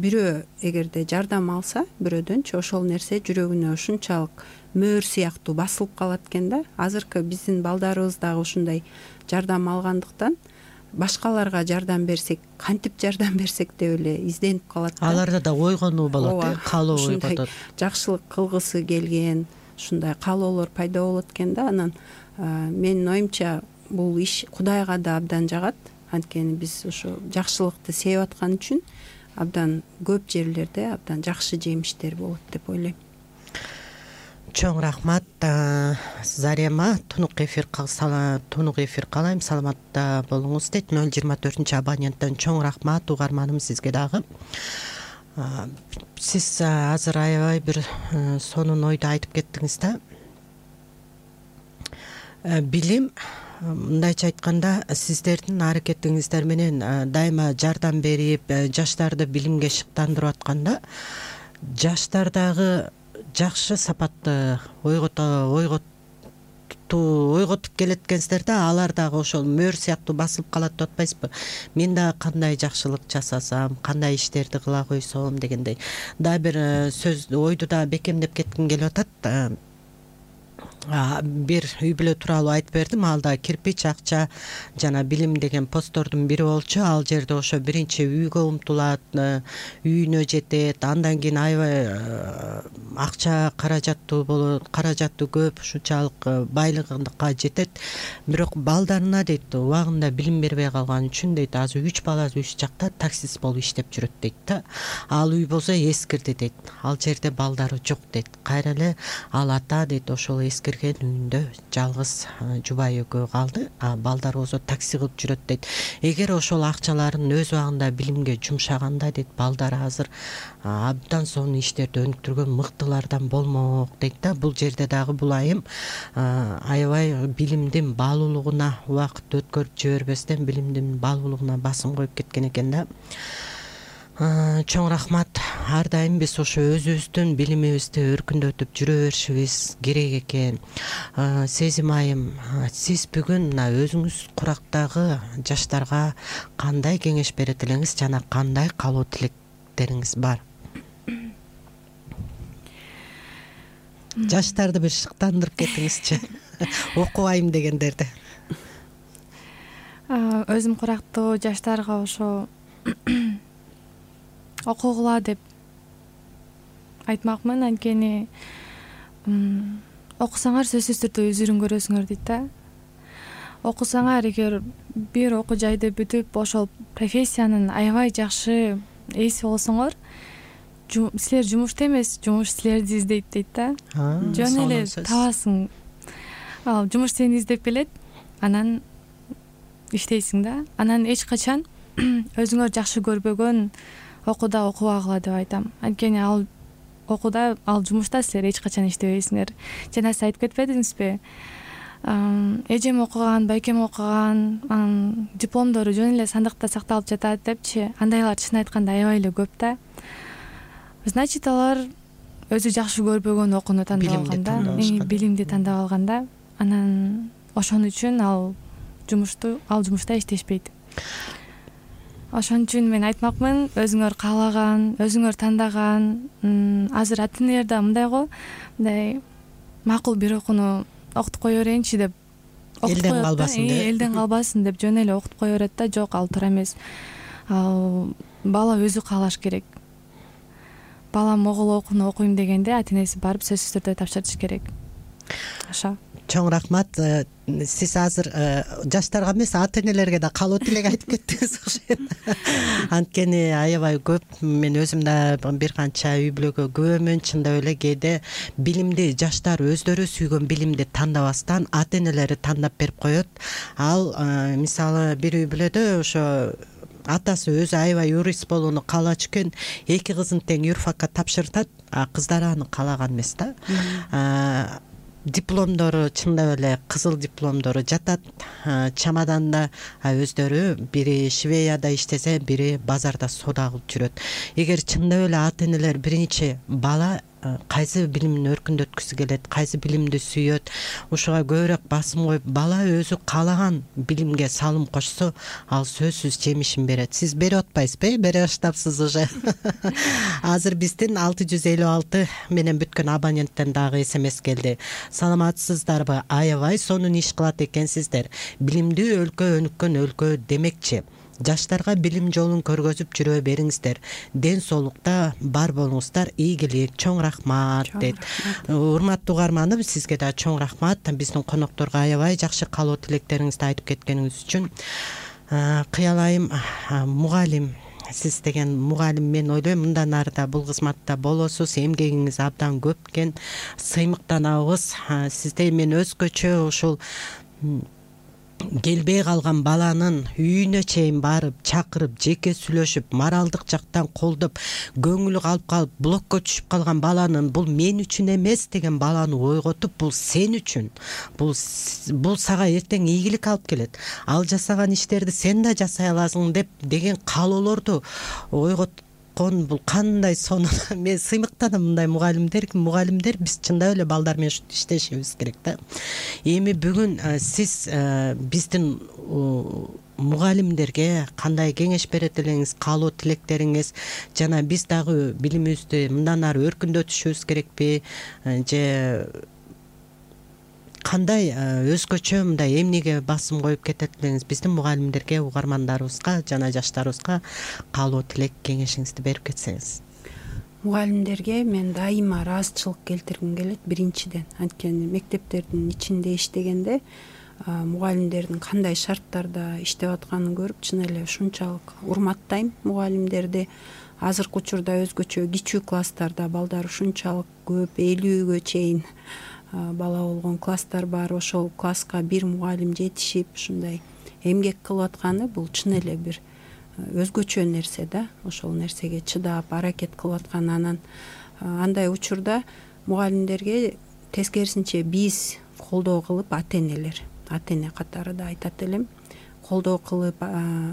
бирөө эгерде жардам алса бирөөдөнчү, ошол нерсе жүрөгүнө ушунчалык мөөр сыяктуу басылып калат экен да. Азыркы биздин балдарыбыз дагы ушундай жардам алгандыктан башкаларга жардам берсек, кантип жардам берсек деп эле изденип калат да. Аларда да ойгонуу болот, каалоо ойготот. Жакшылык кылгысы келген, ушундай каалоолор пайда болот экен да. Анан менин оюмча бул иш Кудайга да абдан жагат. Анткени биз ошо жакшылыкты сээп аткан үчүн абдан көп жерлерде абдан жакшы жемиштер болот деп ойлойм. Чоң рахмат Зарема. Тунук эфир тунук эфир каалайм, саламатта болуңуз дейт. ноль жыйырма төртүнчү абоненттен чоң рахмат угарманым сизге дагы. Сиз азыр аябай бир сонун ойду айтып кеттиңиз да. Билим, мындайча айтканда, сиздердин аракетиңиздер менен дайыма жардам берип, жаштарды билимге шыктандырып атканда, жаштар дагы жакшы сапатты ойготуу ойготуп келет экенсиздер да, алар дагы ошол мөөр сыяктуу басылып калат деп атпайсызбы? Мен дагы кандай жакшылык жасасам, кандай иштерди кыла койсом дегендей. Дагы бир сөз ойду да бекемдеп кетким келип атат. Бир үй бүлө тууралуу айтып бердим. Ал да кирпич, акча жана билим деген посттордун бири болчу. Ал жерде ошо биринчи үйгө умтулат, үйүнө жетет, андан кийин аябай акча каражаттуу болот, каражаты көп, ушунчалык байлыгына жетет. Бирок балдарына дейт, убагында билим бербей калган үчүн дейт, азыр үч баласы үч жакта таксист болуп иштеп жүрөт дейт да. Ал үй болсо эскирди дейт. Ал жерде балдары жок дейт. Кайра эле ал ата дейт, ошол эскирген үйүндө жалгыз жубай экөө калды. А балдар болсо такси кылып жүрөт дейт. Эгер ошол акчаларын өз убагында билимге жумшаганда дейт, балдар азыр абдан сонун иштерди өнүктүргөн мыктылардан болмок дейт да. Бул жерде дагы бул айым аябай билимдин баалуулугуна убакыт өткөрүп жибербестен билимдин баалуулугуна басым коюп кеткен экен да. Чоң рахмат. Ар дайым биз ошо өзүбүздүн билимибизди өркүндөтүп жүрө беришибиз керек экен. Сезим айым, сиз бүгүн мына өзүңүз курактагы жаштарга кандай кеңеш берет элеңиз жана кандай каалоо тилектериңиз бар? жаштарды бир шыктандырып кетиңизчи окубайм дегендерди. Өзүм курактуу жаштарга ошо окугула деп айтмакмын. Анткени окусаңар сөзсүз түрдө өзүрүн көрөсүңөр дейт да. Окусаңар, эгер бир окуу жайды бүтүп ошол профессиянын аябай жакшы ээси болсоңор, силер жумушта эмес, жумуш силерди издейт дейт да. Жөн эле табасың. Ал жумуш сени издеп келет, анан иштейсиң да. Анан эч качан өзүңөр жакшы көрбөгөн окууда окубагыла деп айтам. Анткени ал окууда, ал жумушта силер эч качан иштебейсиңер. Жана сиз айтып кетпедиңизби? Эжем окуган, байкем окуган, дипломдору жөн эле сандыкта сакталып жатат депчи. Андайлар чын айтканда аябай эле көп да. Значит, алар өзү жакшы көрбөгөн окууну тандап алган да, билимди тандап алган да. Анан ошон үчүн ал жумушту, ал жумушта иштешпейт. Ошон үчүн мен айтмакмын, өзүңөр каалаган, өзүңөр тандаган, азыр ата-энелерде мындай го, мындай макул бир окууну окутуп кое берейинчи деп элден калбасын деп, элден калбасын деп жөн эле окутуп кое берет да. Жок, ал туура эмес. Ал бала өзү каалаш керек. Бала могул окууну окуйм дегенде ата-энеси барып сөзсүз түрдө тапшырыш керек. Ошо. Чоң рахмат. Сиз азыр жаштарга эмес, ата-энелерге да каалоо тилек айтып кеттиңиз окшойт. Анткени аябай көп, мен өзүм да бир канча үй бүлөгө күбөмүн. Чындап эле кээде билимди жаштар өздөрү сүйгөн билимди тандабастан ата-энелери тандап берип коет. Ал мисалы бир үй бүлөдө ошо атасы өзү аябай юрист болууну каалачу экен, эки кызын тең юрфакка тапшыртат, а кыздары аны каалаган эмес да. Дипломдору чындап эле кызыл дипломдору жатат чамаданда, өздөрү бири Швеяда иштесе, бири базарда соода кылып жүрөт. Эгер чындап эле ата-энелер биринчи бала кайсы билимин өркүндөткүсү келет, кайсы билимди сүйөт, ушуга көбүрөөк басым коюп, бала өзү каалаган билимге салым кошсо, ал сөзсүз жемишин берет. Сиз берип атпайсызбы? Бере баштапсыз уже. Азыр биздин алты жүз элүү алты менен бүткөн абоненттен дагы смс келди. Саламатсыздарбы? Аябай сонун иш кылат экенсиздер. Билимдүү өлкө өнүккөн өлкө демекчи. Жаштарга билим жолун көргөзүп жүрө бериңиздер. Ден соолукта бар болуңуздар. Ийгилик. Чоң рахмат дейт. Урматтуу угарманым, сизге да чоң рахмат. Биздин конокторго аябай жакшы каалоо тилектериңизди айтып кеткениңиз үчүн. Кыялайым, мугалим, сиз деген мугалим, мен ойлойм мындан ары да бул кызматта болосуз. Эмгегиңиз абдан көп экен. Сыймыктанабыз. Сизде мен өзгөчө ушул келбей калган баланын үйүнө чейин барып, чакырып, жеке сүйлөшүп, моралдык жактан колдоп, көңүлү калып калып, блокко түшүп калган баланын бул мен үчүн эмес деген баланы ойготуп, бул сен үчүн, бул бул сага эртең ийгилик алып келет, ал жасаган иштерди сен да жасай аласың деп деген каалоолорду ойгот. Бул кандай сонун. Мен сыймыктанам мындай мугалимдер, мугалимдер биз чындап эле балдар менен иштешибиз керек да. Эми бүгүн сиз биздин мугалимдерге кандай кеңеш берет элеңиз, каалоо тилектериңиз, жана биз дагы билимибизди мындан ары өркүндөтүшүбүз керекпи, же кандай өзгөчө мындай эмнеге басым коюп кетет элеңиз, биздин мугалимдерге, угармандарыбызга жана жаштарыбызга каалоо тилек кеңешиңизди берип кетсеңиз. Мугалимдерге мен дайыма ыраазычылык келтиргим келет биринчиден. Анткени мектептердин ичинде иштегенде мугалимдердин кандай шарттарда иштеп атканын көрүп, чын эле ушунчалык урматтайм мугалимдерди. Азыркы учурда өзгөчө кичүү класстарда балдар ушунчалык көп, элүүгө чейин бала болгон класстар бар. Ошол класска бир мугалим жетишип ушундай эмгек кылып атканы бул чын эле бир өзгөчө нерсе да. Ошол нерсеге чыдап аракет кылып аткан. Анан андай учурда мугалимдерге тескерисинче биз колдоо кылып, ата-энелер, ата-эне катары да айтат элем, колдоо кылып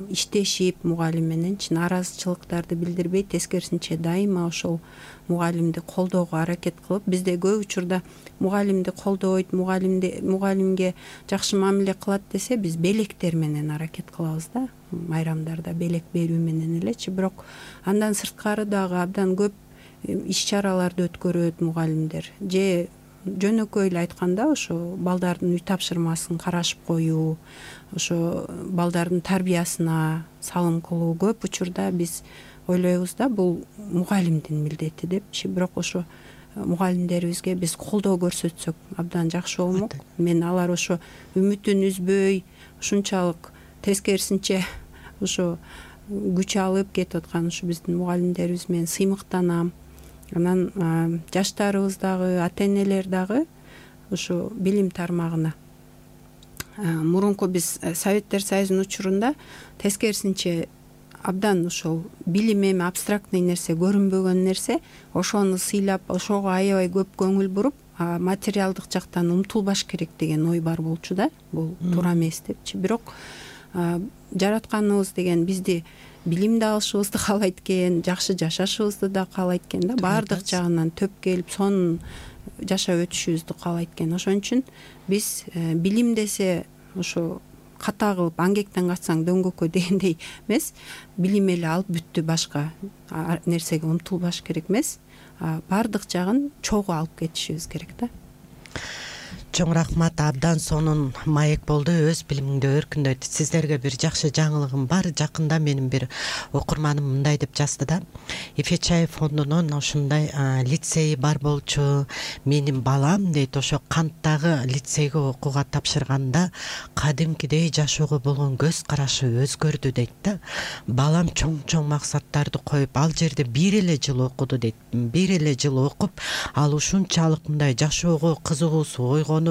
иштешип мугалим менен чын ыраазычылыктарды билдирбей, тескерисинче дайыма ошол мугалимди колдоого аракет кылып, бизде көп учурда мугалимди колдойт, мугалимди мугалимге жакшы мамиле кылат десе, биз белектер менен аракет кылабыз да. Майрамдарда белек берүү менен элечи. Бирок андан сырткары дагы абдан көп иш чараларды өткөрөт мугалимдер. Же жөнөкөй эле айтканда ошо балдардын үй тапшырмасын карашып коюу, ошо балдардын тарбиясына салым кылуу көп учурда биз ойлойбуз да бул мугалимдин милдети депчи. Бирок ошо мугалимдерибизге биз колдоо көрсөтсөк абдан жакшы болмок. Мен алар ошо үмүтүн үзбөй, ушунчалык тескерисинче ошо күч алып кетип аткан ушу биздин мугалимдерибиз менен сыймыктанам. Анан жаштарыбыз дагы, ата энелер дагы ушу билим тармагына мурунку биз Советтер Союзунун учурунда тескерисинче абдан ошол билим эми абстрактный нерсе, көрүнбөгөн нерсе, ошону сыйлап, ошого аябай көп көңүл буруп, материалдык жактан умтулбаш керек деген ой бар болчу да. Бул туура эмес депчи. Бирок жаратканыбыз деген бизди билимди алышыбызды каалайт экен, жакшы жашашыбызды да каалайт экен да, баардык жагынан төп келип сонун жашап өтүшүбүздү каалайт экен. Ошон үчүн биз билим десе ошо ката кылып аңгектен качсаң дөңгөккө дегендей эмес, билим эле алып бүттү, башка нерсеге умтулбаш керек эмес, баардык жагын чогуу алып кетишибиз керек да. Чоң рахмат, абдан сонун маек болду, өз билимиңди өркүндөйт. Сиздерге бир жакшы жаңылыгым бар. Жакында менин бир окурманым мындай деп жазды да: Эфечаев фондунун ушундай лицеи бар болчу. Менин балам дейт, ошо Канттагы лицейге окууга тапшырганда кадимкидей жашоого болгон көз карашы өзгөрдү дейт да. Балам чоң-чоң максаттарды коюп, ал жерде бир эле жыл окуду дейт. Бир эле жыл окуп, ал ушунчалык мындай жашоого кызыгуусу ойгонуп,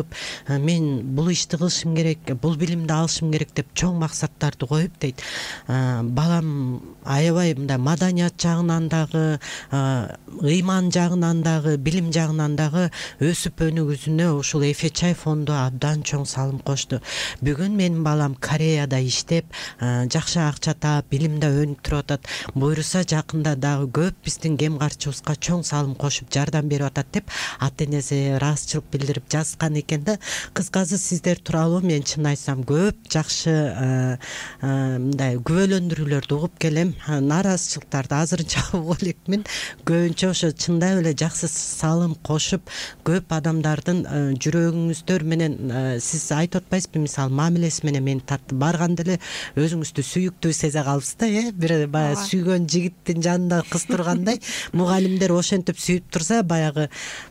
мен бул ишти кылышым керек, бул билимди алышым керек деп чоң максаттарды коюп дейт. Балам аябай мындай маданият жагынан дагы, ыйман жагынан дагы, билим жагынан дагы өсүп өнүгүүсүнө ушул Эфечаев фонду абдан чоң салым кошту. Бүгүн менин балам Кореяда иштеп, жакшы акча таап, билимде өнүп туруп атат. Буйруса жакында дагы көп биздин кем карчыбызга чоң салым кошуп жардам берип атат деп ата энеси ыраазычылык билдирип жазган экен да. Кыскасы сиздер тууралуу мен чын айтсам көп жакшы мындай күбөлөндүрүүлөрдү угуп келем. Нааразычылыктарды азырынча угуп элекмин. Көбүнчө ошо чындап эле жакшы салым кошуп, көп адамдардын жүрөгүңүздөр менен сиз айтып атпайсызбы, мисалы мамилеси менен мени тартты. Барганда эле өзүңүздү сүйүктүү сезе калыпсыз да, э? Бир баягы сүйгөн жигиттин жанында кыз тургандай, мугалимдер ошентип сүйүп турса, баягы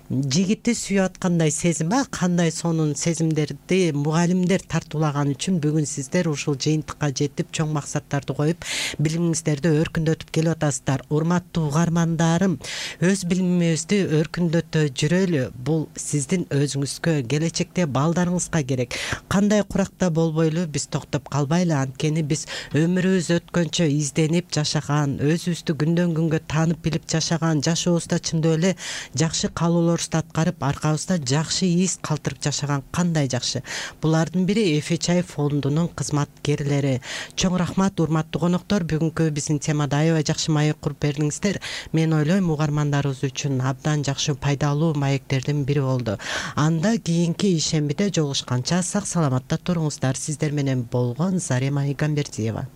жигитти сүйүп аткандай сезим, а кандай сонун сезимдерди мугалимдер тартуулаган үчүн бүгүн сиздер ушул жыйынтыкка жетип, чоң максаттарды коюп, билимиңиздерди өркүндөтүп келип атасыздар. Урматтуу угармандарым, өз билимибизди өркүндөтө жүрөлү. Бул сиздин өзүңүзгө, келечекте балдарыңызга керек. Кандай куракта болбойлу биз токтоп калбайлы, анткени биз өмүрүбүз өткөнчө изденип жашаган, өзүбүздү күндөн күнгө таанып билип жашаган, жашообузда чындап эле жакшы каалоолорубузду аткарып, аркабызда жакшы из калтырып жашаган кандай жакшы. Булардын бири Эфечаев фондунун кызматкерлери. Чоң рахмат, урматтуу коноктор, бүгүнкү биздин темада аябай жакшы маек куруп бердиңиздер. Мен ойлойм угармандарыбыз үчүн абдан жакшы пайдалуу маектердин бири болду. Анда кийинки ишембиде жолугушканча сак саламатта туруңуздар. Сиздер менен болгон Зарема Игамбердиева.